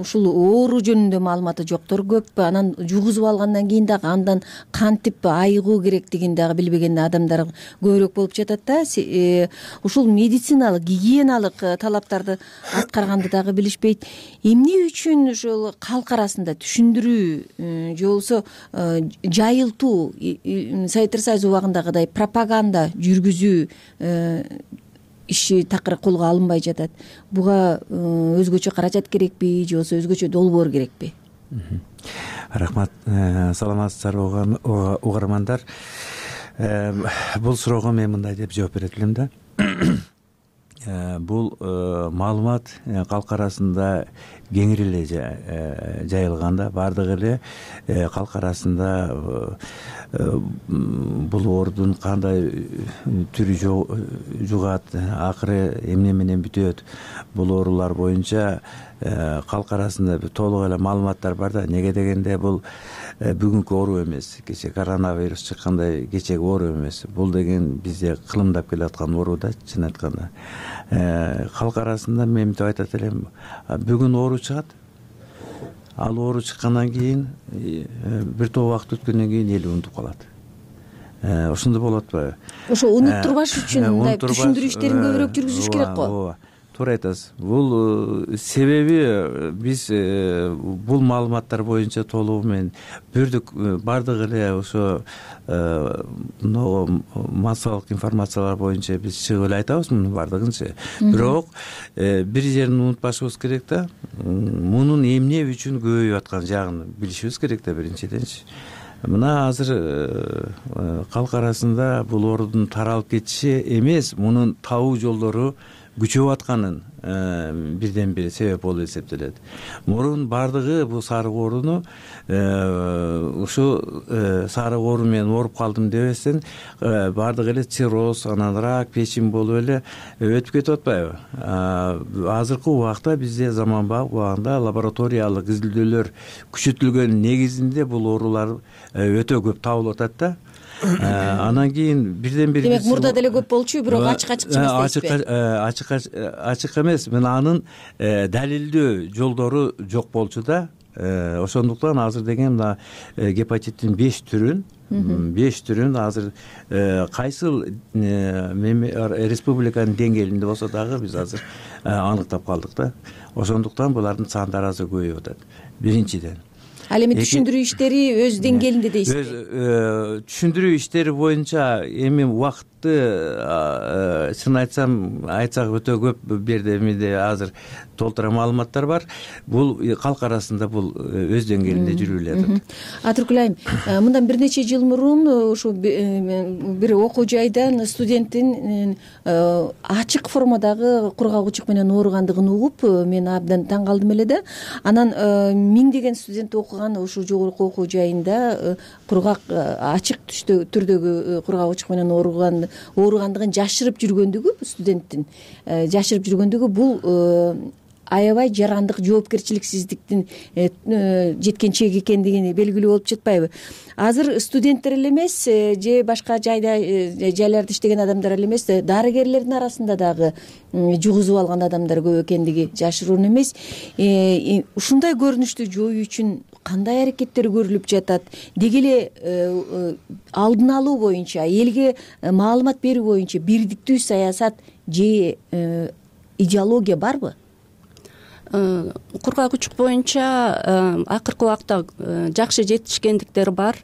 ушул оору жөнүндө маалыматы жоктор көп. Анан жугузуп алгандан кийин дагы андан кантип айыгуу керектигин дагы билбеген адамдар көбүрөөк болуп жатат да. Ушул медициналык, гигиеналык талаптарды аткарганды дагы билишпейт. Эмне үчүн ушул калк арасында түшүндүрүү же болбосо жайылтуу, Советтер Союзу убагындагыдай пропаганда жүргүзүү иши такыр колго алынбай жатат. Буга өзгөчө каражат керекпи же болбосо өзгөчө долбоор керекпи? Рахмат. Саламатсыздарбы угармандар. Бул суроого мен мындай деп жооп берет элем да. Бул маалымат калк арасында кеңири эле жайылган да. Бардыгы эле калк арасында бул оорудун кандай түрү жугат, акыры эмне менен бүтөт, бул оорулар боюнча калк арасында толук эле маалыматтар бар да. Неге дегенде бул бүгүнкү оору эмес, кече коронавирус чыккандай кечеги оору эмес. Бул деген бизде кылымдап келаткан оору да, чын айтканда. Калк арасында мен мынтип айтат элем, бүгүн оору чыгат. Ал оору чыккандан кийин бир топ убакыт өткөндөн кийин эл унутуп калат. Ошондой болот атпайбы? Ошо унуттурбаш үчүн мындай түшүндүрүү иштерин көбүрөөк жүргүзүш керек го. Туура айтасыз. Бул себеби биз бул маалыматтар боюнча толугу менен бирдик бардыгы эле ошо массалык информациялар боюнча биз чыгып эле айтабыз мунун бардыгынчы. Бирок бир жерин унутпашыбыз керек да. Мунун эмне үчүн көбөйүп аткан жагын билишибиз керек да биринчиденчи. Мына азыр калк арасында бул оорудун таралып кетиши эмес, мунун табуу жолдору күчөп атканын бирден бир себеп болуп эсептелет. Мурун бардыгы бул сарык ооруну ушу сарык оору менен ооруп калдым дебестен бардыгы эле цирроз, анан рак, печень болуп эле өтүп кетип атпайбы? Азыркы убакта бизде заманбап убагында лабораториялык изилдөөлөр күчөтүлгөн негизинде бул оорулар өтө көп табылып атат да. Анан кийин бирден бир демек мурда деле көп болчу, бирок ачык эмес дейсизби? Ачык эмес, мына анын далилдөө жолдору жок болчу да. Ошондуктан азыр деген мына гепатиттин 5 түрүн азыр кайсыл республиканын деңгээлинде болсо дагы биз азыр аныктап калдык да. Ошондуктан булардын сандары азыр көбөйүп атат. Биринчиден. Ал эми түшүндүрүү иштери өз деңгээлинде дейсизби? Түшүндүрүү иштери боюнча эми убакытты чын айтсак өтө көп бу жерде эмеде азыр толтура маалыматтар бар. Бул калк арасында бул өз деңгээлинде жүрүп эле атат. Атыркүл айым, мындан бир нече жыл мурун ушу бир окуу жайдан студенттин ачык формадагы кургак учук менен ооругандыгын угуп, мен абдан таң калдым эле да. Анан миңдеген студент окуган ушу жогорку окуу жайында кургак ачык түрдөгү кургак учук менен ооругандыгын жашырып жүргөндүгү, студенттин жашырып жүргөндүгү бул аябай жарандык жоопкерчиликсиздиктин жеткен чеги экендигин белгилүү болуп жатпайбы? Азыр студенттер эле эмес, же башка жайларда иштеген адамдар эле эмес, дарыгерлердин арасында дагы жугузуп алган адамдар көп экендиги жашыруун эмес. Ушундай көрүнүштү жоюу үчүн кандай аракеттер көрүлүп жатат? Деги эле алдын алуу боюнча, элге маалымат берүү боюнча бирдиктүү саясат же идеология барбы? Кургак учук боюнча акыркы убакта жакшы жетишкендиктер бар.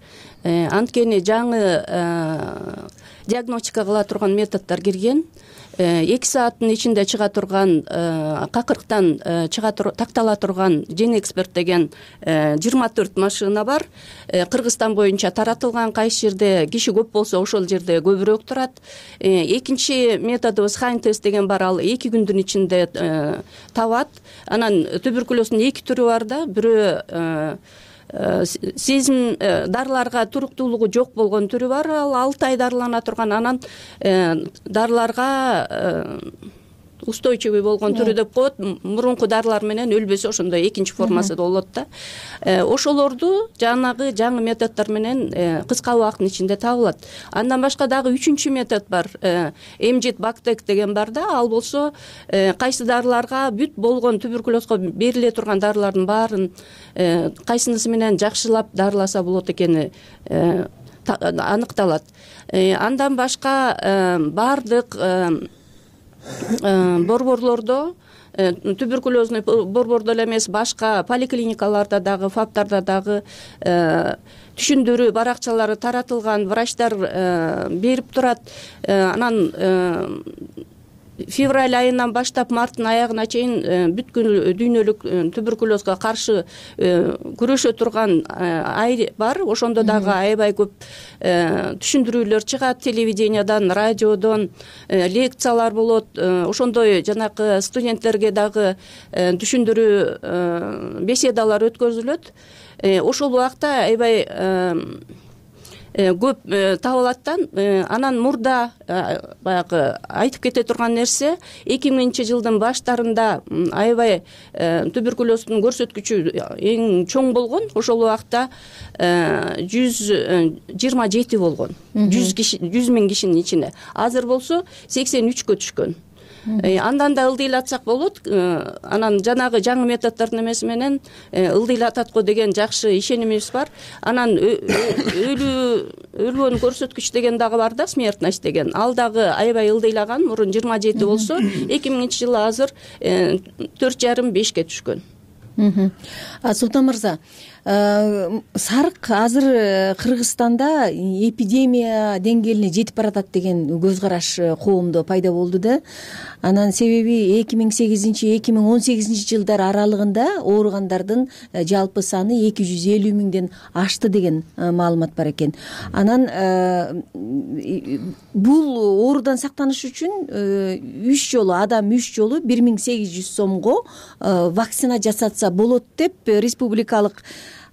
Анткени жаңы диагностика кыла турган методдор кирген. 2 сааттын ичинде чыга турган, какырыктан тактала турган Gen Expert деген 24 машина бар. Кыргызстан боюнча таратылган, кайсы жерде киши көп болсо ошол жерде көбүрөөк турат. Экинчи методубуз Hain тест деген бар, ал 2 күндүн ичинде табат. Анан туберкулездин 2 түрү бар да, бирөө сезим дарыларга туруктуулугу жок болгон түрү бар. Ал 6 ай дарылана турган, анан дарыларга устойчивый болгон түрү деп коет. Мурунку дарылар менен өлбөсө ошондой экинчи формасы да болот да. Ошолорду жанагы жаңы методдор менен кыска убакыттын ичинде табылат. Андан башка дагы 3-чү метод бар. Эмжит Бактек деген бар да. Ал болсо кайсы дарыларга бүт болгон туберкулезго бериле турган дарылардын баарын кайсынысы менен жакшылап дарыласа болот экени аныкталат. Андан башка бардык борборлордо, туберкулезный борбордо эле эмес, башка поликлиникаларда дагы, ФАПтарда дагы түшүндүрүү баракчалары таратылган, врачтар берип турат. Анан февраль айынан баштап марттын аягына чейин бүткүл дүйнөлүк туберкулезга каршы күрөшө турган ай бар. Ошондо дагы аябай көп түшүндүрүүлөр чыгат, телевидениядан, радиодон лекциялар болот. Ошондой жанакы студенттерге дагы түшүндүрүү беседалар өткөзүлөт. Ошол убакта аябай көп табылаттан. Анан мурда баягы айтып кете турган нерсе, 2000-жылдын баштарында аябай туберкулездун көрсөткүчү эң чоң болгон. Ошол убакта 127 болгон. 100 миң кишинин ичине. Азыр болсо 83кө түшкөн. Андан да ылдыйлатсак болот. Анан жанагы жаңы методдордун эмеси менен ылдыйлатат го деген жакшы ишенимибиз бар. Анан өлгөн көрсөткүч деген дагы бар да, смертность деген. Ал дагы аябай ылдыйлаган. Мурун 27 болсо, 2000-жылы азыр 4,5-5ке түшкөн. Султан мырза, сарык азыр Кыргызстанда эпидемия деңгээлине жетип баратат деген көз караш коомдо пайда болду да. Анан себеби 2008-2018 жылдар аралыгында ооругандардын жалпы саны 250 миңден ашты деген маалымат бар экен. Анан бул оорудан сактаныш үчүн 3 жолу 1800 сомго вакцина жасатса болот деп республикалык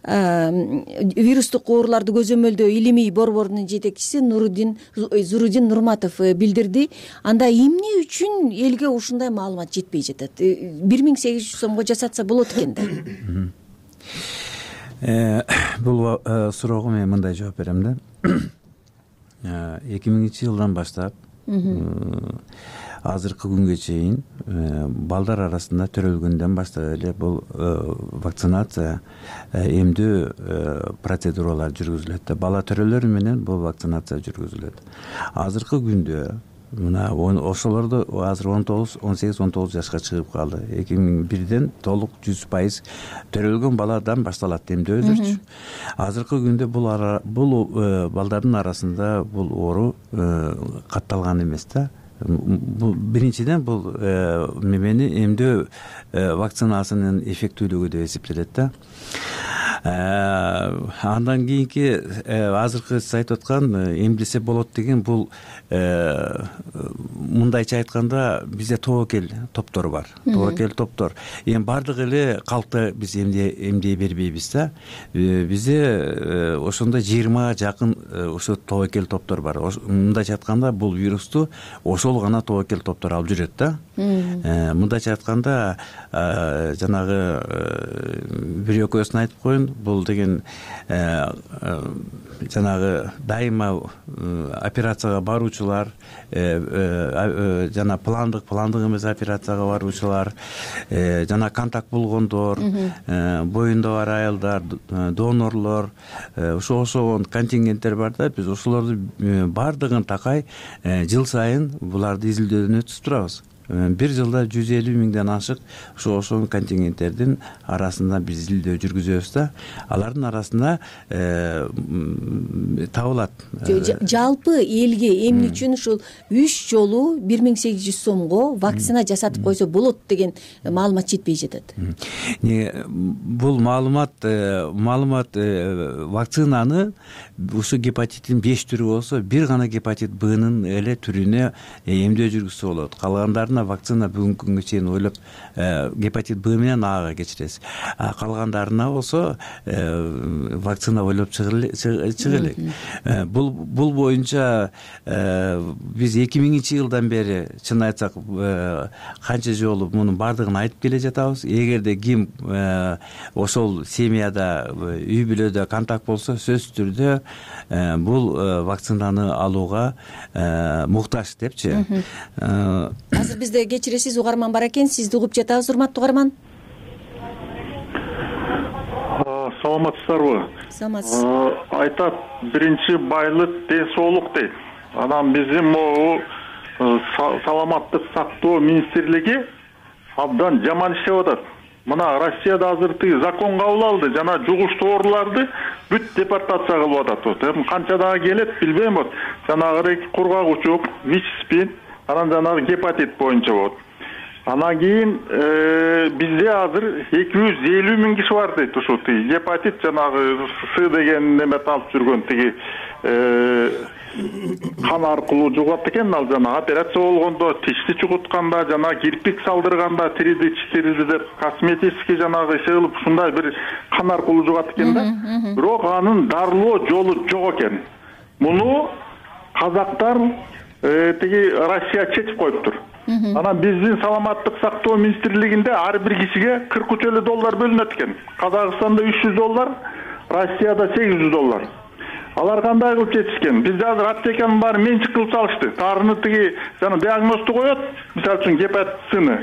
вирустук ооруларды көзөмөлдөө илимий борборунун жетекчиси Зурудин Нурматов билдирди. Анда эмне үчүн элге ушундай маалымат жетпей жатат? 1800 сомго жасатса болот экен да. Бул суроого мен мындай жооп берем да. 2000-жылдан баштап азыркы күнгө чейин балдар арасында төрөлгөндөн баштап эле бул вакцинация, эмдөө процедуралар жүргүзүлөт. Бала төрөлөрү менен бул вакцинация жүргүзүлөт. Азыркы күндө мына ошолорду азыр 18-19 жашка чыгып калды. 2001ден толук 100% төрөлгөн баладан башталат эмдөөдөрчү. Азыркы күндө бул балдардын арасында бул оору катталган эмес да. Биринчиден бул мемени эмдөө вакцинасынын эффектүүлүгү деп эсептелет да. Андан кийинки азыркы сиз айтып аткан эмдесе болот деген бул мындайча айтканда бизде тобокел топтор бар. Тобокел топтор. Эми бардык эле калкты биз эмдей бербейбиз да. Бизде ошондой 20 жакын ошо тобокел топтор бар. Мындайча айтканда бул вирусту ошол гана тобокел топтор алып жүрөт да. Мындайча айтканда жанагы бир экөөсүн айтып коеюн, бул деген жанагы дайыма операцияга баруучулар, жана пландык эмес операцияга баруучулар, жана контакт болгондор, боюнда бар аялдар, донорлор, ошол контингенттер бар да. Биз ошолорду бардыгын такай жыл сайын буларды изилдөөдөн өткүзүп турабыз. Бир жылда 150 миңден ашык ошол контингенттердин арасында биз изилдөө жүргүзөбүз да. Алардын арасында табылат. Жалпы элге эмне үчүн ушул 3 жолу 1800 сомго вакцина жасатып койсо болот деген маалымат жетпей жатат. Бул маалымат вакцинаны ушу гепатиттин 5 түрү болсо, бир гана гепатит Б'нын эле түрүнө эмдөө жүргүзсө болот. Калгандарын гана вакцина бүгүнкү күнгө чейин ойлоп гепатит Б менен Ага кечиресиз. Калгандарына болсо вакцина ойлоп чыга элек. Бул боюнча биз 2000-жылдан бери чын айтсак канча жолу мунун баардыгын айтып келе жатабыз. Эгерде ким ошол семьяда үй бүлөдө контакт болсо сөзсүз түрдө бул вакцинаны алууга муктаж депчи. Азыр бизде кечиресиз угарман бар экен, сизди угуп жатабыз, урматтуу угарман. Саламатсыздарбы? Саламатсыз. Айтат, биринчи байлык ден соолук дейт. Анан биздин могу саламаттык сактоо министрлиги абдан жаман иштеп атат. Мына Россияда азыр закон кабыл алды, жана жугуштуу ооруларды бүт депортация кылып атат. Эми канча дагы келет билбейм. Жанагы кургак учук, ВИЧ-СПИН, анан жанагы гепатит боюнча болот. Анан кийин бизде азыр 250 000 киши бар дейт. Ушул гепатит жанагы С деген немети алып жүргөн кан аркылуу жугат экен. Ал жана операция болгондо, тишти чугутканда, жана кирпик салдырганда, тирди деп косметический жанагы кылып ушундай бир кан аркылуу жугат экен да. Бирок анын дарылоо жолу жок экен. Муну казактар Россия чечип коюптур. Анан биздин саламаттык сактоо министрлигинде ар бир кишиге $43 бөлүнөт экен. Казакстанда $300, Россияда $800. Алар кандай кылып чечишкен? Бизде азыр аптеканын баары менчик кылып салышты. Тарыны жана диагнозду коет, мисалы үчүн гепатитсыны.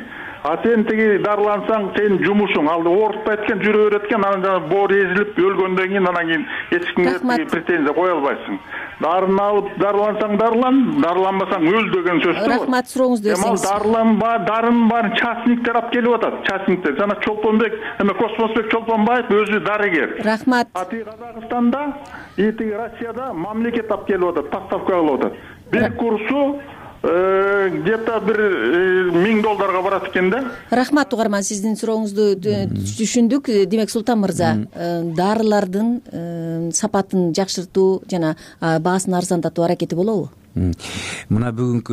А сен дарылансаң, сенин жумушуң алды оорутпайт экен, жүрө берет экен, анан жана боор эзилип өлгөндөн кийин анан кийин эч кимге претензия кое албайсың. Дарыны алып дарылансаң дарылан, дарыланбасаң өл деген сөз. Рахмат, сурооңузду берсеңиз. Дарынын баарын частниктер алып келип атат. Частниктер жана Чолпонбек, Космосбек Чолпонбаев өзү дарыгер. Рахмат. Казакстанда, Россияда мамлекет алып келип атат, поставка кылып атат. Бир курсу где-то $1000 барат экен да. Рахмат угарман, сиздин сурооңузду түшүндүк. Демек Султан мырза, дарылардын сапатын жакшыртуу жана баасын арзандатуу аракети болобу? Мына бүгүнкү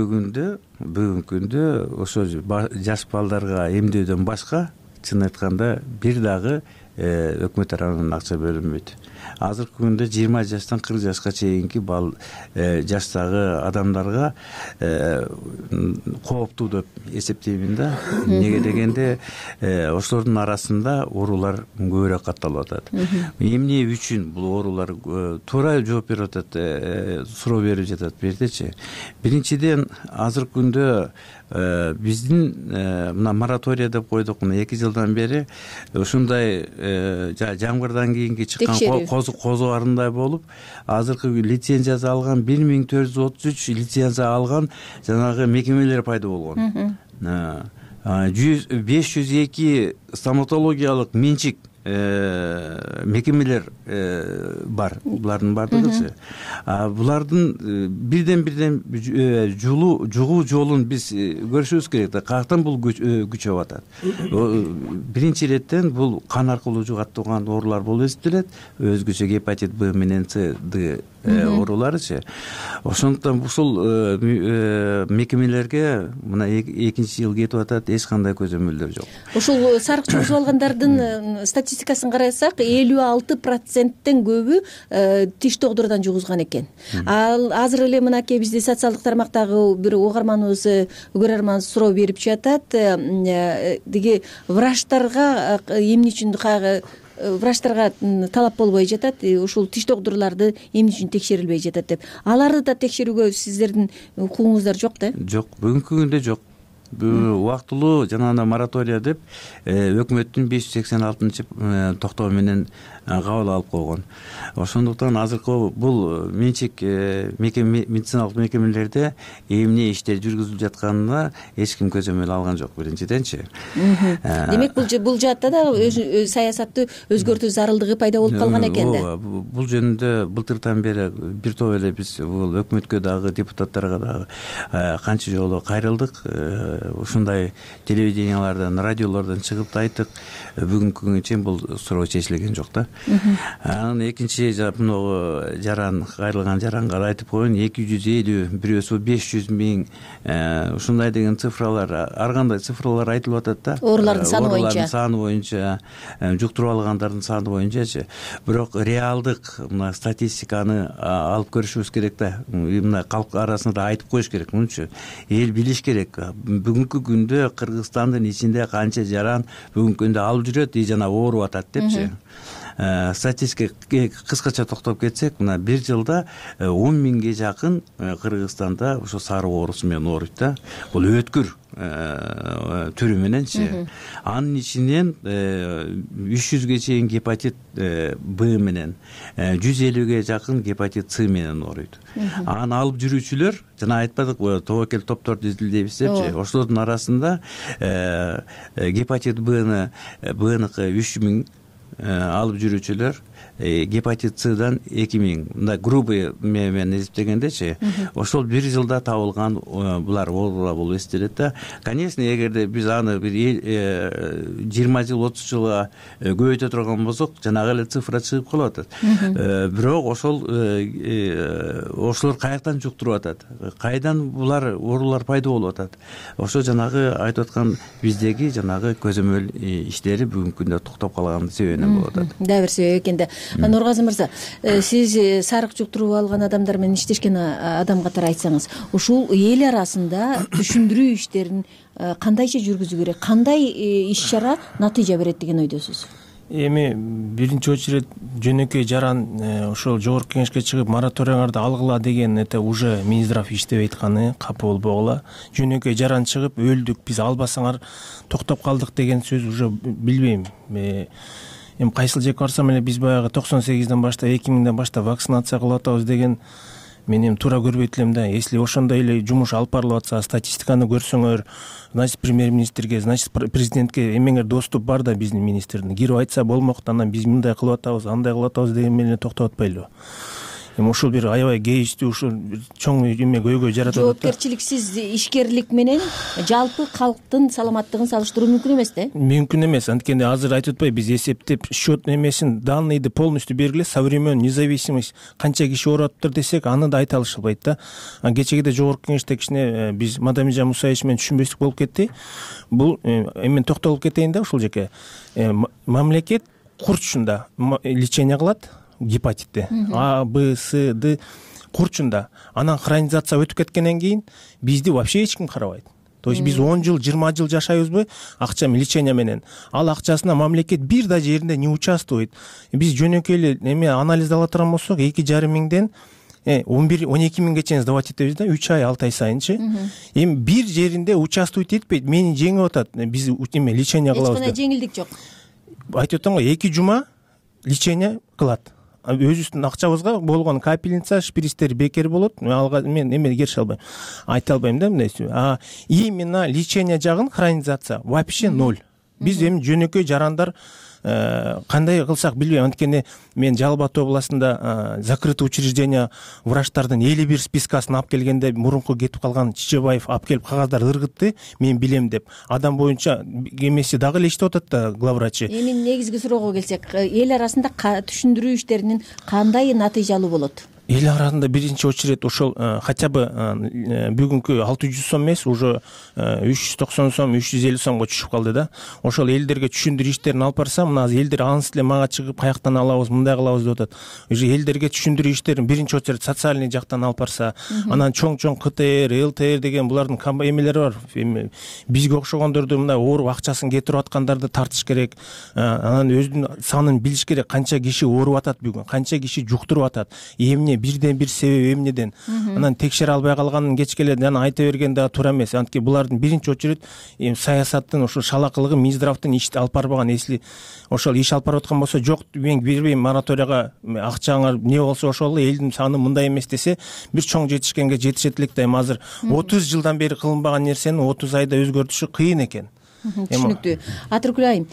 күндө ошо жаш балдарга эмдөөдөн башка чын айтканда бир дагы өкмөт тарабынан акча бөлүнбөйт. Азыркы күндө 20 жаштан 40 жашка чейинки жаштагы адамдарга кооптуу деп эсептеймин да. Неге дегенде ошолордун арасында оорулар көбүрөөк катталып атат. Эмне үчүн бул оорулар туура жооп берип атат, суроо берип жатат бирдечи. Биринчиден азыркы күндө биздин мына моратория деп койдук, мына 2 жылдан бери ушундай жамгырдан кийинки чыккан козу арындай болуп, азыркы лицензиясы алган 1433 лицензия алган жанагы мекемелер пайда болгон. 502 стоматологиялык менчик мекемелер бар. Булардын бардыгычы. Булардын бирден жугуу жолун биз көрүшүбүз керек да. Каяктан бул күчөп атат? Биринчи иреттен бул кан аркылуу жугат турган оорулар болуп эсептелет. Өзгөчө гепатит Б менен С, Д ооруларычы. Ошондуктан ушул мекемелерге мына 2-жыл кетип атат, эч кандай көзөмөлдөр жок. Ушул сарык жугузуп алгандардын статистикасын карасак, 56%тен көбү тиш докторудан жугузган экен. Ал азыр эле мынакей бизде социалдык тармактагы бир угарманыбыз, көрөрман суроо берип жатат. Деги врачтарга эмне үчүн врачтарга талап болбой жатат, ушул тиш докторлорду эмне үчүн текшерилбей жатат деп. Аларды да текшерүүгө сиздердин укугуңуздар жок да? Жок, бүгүнкү күндө жок. Убактылуу жанагы моратория деп өкмөттүн 586 токтоо менен кабыл алып койгон. Ошондуктан азыркы бул менчик медициналык мекемелерде эмне иштер жүргүзүлүп жатканына эч ким көзөмөл алган жок биринчиденчи. Демек бул жаатта да саясатты өзгөртүү зарылдыгы пайда болуп калган экен да. Бул жөнүндө былтырдан бери бир топ эле биз бул өкмөткө дагы депутаттарга дагы канча жолу кайрылдык. ушундай телевидениялардан, радиолордон чыгып да айттык. Бүгүнкү күнгө чейин бул суроо чечилген жок да. Анан экинчи могу жаран, кайрылган жаранга айтып коеюн, 250, бирөөсү 500 миң ушундай деген цифралар, ар кандай цифралар айтылып атат да. Оорулардын саны боюнча, жуктуруп алгандардын саны боюнчачы. Бирок реалдык мына статистиканы алып көрүшүбүз керек да. Мына калк арасында айтып коюш керек. Мынча эл билиш керек. Бүгүнкү күндө Кыргызстандын ичинде канча жаран бүгүнкү күндө алып жүрөт жана ооруп атат депчи. Статистикага кыскача токтоп кетсек, мына бир жылда 10 миңге жакын Кыргызстанда ошо сары оорусу менен ооруйт да. Бул өткүр түрү мененчи. Анын ичинен 300ге чейин гепатит Б менен, 150ге жакын гепатит С менен ооруйт. Аны алып жүрүүчүлөр, жана айтпадык, тобокел топтор түзүлдү депчи. Ошолордун арасында гепатит Бныкы 3000 алып жүрүүчүлөр, гепатит Сдан 2000. Мындай грубый менен эсептегендечи, ошол бир жылда табылган булар оорулар болуп эсептелет да. Конечно, эгерде биз аны бир 20 жыл, 30 жылга көбөйтө турган болсок, жанагы эле цифра чыгып калып атат. Бирок ошолор каяктан жуктуруп атат? Кайдан булар оорулар пайда болуп атат? Ошо жанагы айтып аткан биздеги жанагы көзөмөл иштери бүгүнкү күндө токтоп калган себебинен болуп атат. Дагы бир себеп экен да. Нургазы мырза, сиз сарык жуктуруп алган адамдар менен иштешкен адам катары айтсаңыз, ушул эл арасында түшүндүрүү иштерин кандайча жүргүзүү керек, кандай иш-чара натыйжа берет деген ойдосуз? Эми биринчи очередь жөнөкөй жаран ошол жогорку кеңешке чыгып мораториңарды алгыла деген это уже Минздрав иштебей атканы, капы болбогула. Жөнөкөй жаран чыгып өлдүк, биз албасаңар токтоп калдык деген сөз уже билбейм. Эми кайсыл жака барсам эле биз баягы 98ден баштап, 2000ден баштап вакцинация кылып атабыз деген мен эми туура көрбөйт элем да. Если ошондой эле жумуш алып барылып атса, статистиканы көрсөңөр, значит премьер-министрге, значит президентке эмеңер доступ бар да биздин министрдин. Кирип айтса болмок, анан биз мындай кылып атабыз, андай кылып атабыз деген менен токтоп атпайлыбы? Эми ушул бир аябай кейичтүү, ушул чоң эме көйгөй жаратат. Жоопкерчиликсиз ишкерлик менен жалпы калктын саламаттыгын салыштыруу мүмкүн эмес да? Мүмкүн эмес. Анткени азыр айтып атпайбы, биз эсептеп счет эмесин, данныйды полностью бергиле, современ независимость канча киши ооруптур десек, аны да айта алышпайт да. Кечеги жогорку кеңеште кичине биз Мадамижан Мусаевич менен түшүнбөстүк болуп кетти. Бул эми токтолуп кетейин да ушул жака. Мамлекет курчунда лечение кылат гепатитти, А, Б, С, Д курчунда. Анан хронизация өтүп кеткенден кийин бизди вообще эч ким карабайт. То есть биз 10 жыл, 20 жыл жашайбызбы акча лечение менен. Ал акчасына мамлекет бир да жеринде не участвует. Биз жөнөкөй эле эме анализ ала турган болсок, 2,5 миңден 11-12 миңге чейин сдавать этебиз да, 3 ай, 6 ай сайынчы. Эми бир жеринде участвовать этпейт, мени жеңип атат. Биз эме лечение кылабыз. Эч кандай жеңилдик жок. Айтып атам го, 2 жума лечение кылат. Өзүбүздүн акчабызга болгон капельница, шприцтер бекер болот. Мен эме кереше албайм, айта албайм да мындай. Именно лечение жагын, хронизация вообще 0. Биз эми жөнөкөй жарандар кандай кылсак билбейм. Анткени мен Жалал Абад областында закрытый учреждение врачтардын 51 спискасын алып келгенде, мурунку кетип калган Чичебаев алып келип кагаздар ыргытты, мен билем деп. Адам боюнча эмеси дагы эле иштеп атат да, главврачы. Эми негизги суроого келсек, эл арасында түшүндүрүү иштеринин кандай натыйжалуу болот? Эл арасында биринчи очередь ошол хотя бы бүгүнкү 600 сом эмес, уже 390 сом, 350 сомго түшүп калды да. Ошол элдерге түшүндүрүү иштерин алып барсам, мына азыр элдер анысы эле мага чыгып каяктан алабыз, мындай кылабыз деп атат. Уже элдерге түшүндүрүү иштерин биринчи очередь социальный жактан алып барса, анан чоң КТР, ЛТР деген булардын эмелери бар. Бизге окшогондорду мындай ооруп акчасын кетирип аткандарды тартыш керек. Анан өзүнүн санын билиш керек, канча киши ооруп атат бүгүн, канча киши жуктуруп атат. Эмне бирден бир себеби эмнеден? Анан текшере албай калганын кечкеле жана айта берген да туура эмес. Анткени булардын биринчи очередь саясаттын, ошо шалакылыгы, Минздравдын ишти алып барбаган. Если ошол иш алып барып аткан болсо, жок мен бербейм мораторияга, акчаңар не болсо ошол элдин саны мындай эмес десе, бир чоң жетишкенге жетишет элек да. Эми азыр 30 жылдан бери кылынбаган нерсени 30 айда өзгөртүшү кыйын экен. түшүнүктүү. Атыркүл айым,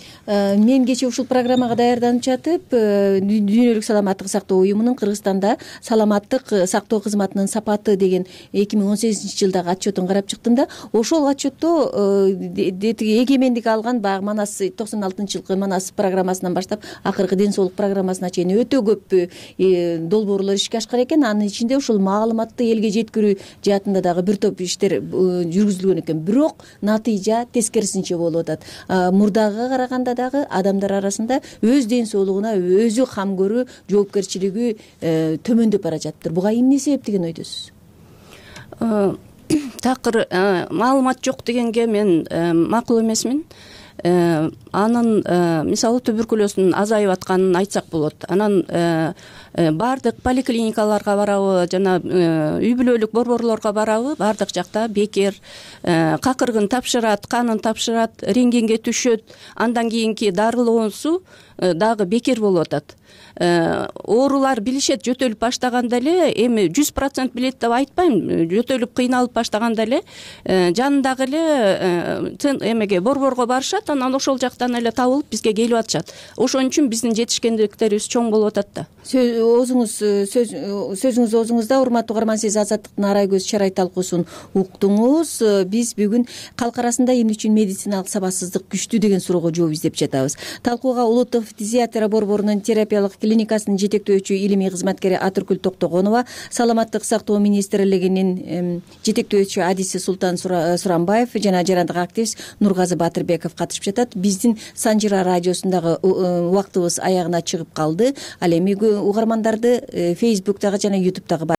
мен кечээ ушул программага даярданып жатып, дүйнөлүк саламаттык сактоо уюмунун Кыргызстанда саламаттык сактоо кызматынын сапаты деген 2018-жылдагы отчетун карап чыктым да, ошол отчетто эгемендик алган баягы Манас 96-жылкы Манас программасынан баштап акыркы ден соолук программасына чейин өтө көп долбоорлор ишке ашкан экен. Анын ичинде ушул маалыматты элге жеткирүү жаатында дагы бир топ иштер жүргүзүлгөн экен. Бирок натыйжа тескерисинче болуп атат. Мурдагыга караганда дагы адамдар арасында өз ден соолугуна өзү кам көрүү жоопкерчилиги төмөндөп бара жатыптыр. Буга эмне себеп деген ойдосуз? Такыр маалымат жок дегенге мен макул эмесмин. Анын мисалы туберкулездун азайып атканын айтсак болот. Анан баардык поликлиникаларга барабы жана үй бүлөлүк борборлорго барабы, баардык жакта бекер. Какыргын тапшырат, канын тапшырат, рентгенге түшөт, андан кийинки дарылоонусу дагы бекер болуп атат. Оорулар билишет жөтөлүп баштаганда эле, эми 100% билет деп айтпайм, жөтөлүп кыйналып баштаганда эле жанындагы эле эмеге борборго барышат, анан ошол жактан эле табылып бизге келип атышат. Ошон үчүн биздин жетишкендиктерибиз чоң болуп атат да. Сөзүңүз оозуңузда, урматтуу угарман, сиз Азаттыктын Арай көз чарай талкуусун уктуңуз. Биз бүгүн калк арасында эмне үчүн медициналык сабатсыздык күчтүү деген суроого жооп издеп жатабыз. Талкууга улуттук фтизиатрия борборунун терапиялык клиникасынын жетектөөчү илимий кызматкери Атыркүл Токтогонова, саламаттык сактоо министрлигинин жетектөөчү адиси Султан Сурамбаев жана жарандык активист Нургазы Батырбеков катышып жатат. Биздин Санжыра радиосундагы убактыбыз аягына чыгып калды. Ал эми угармандарды Facebook'тагы жана YouTube'дагы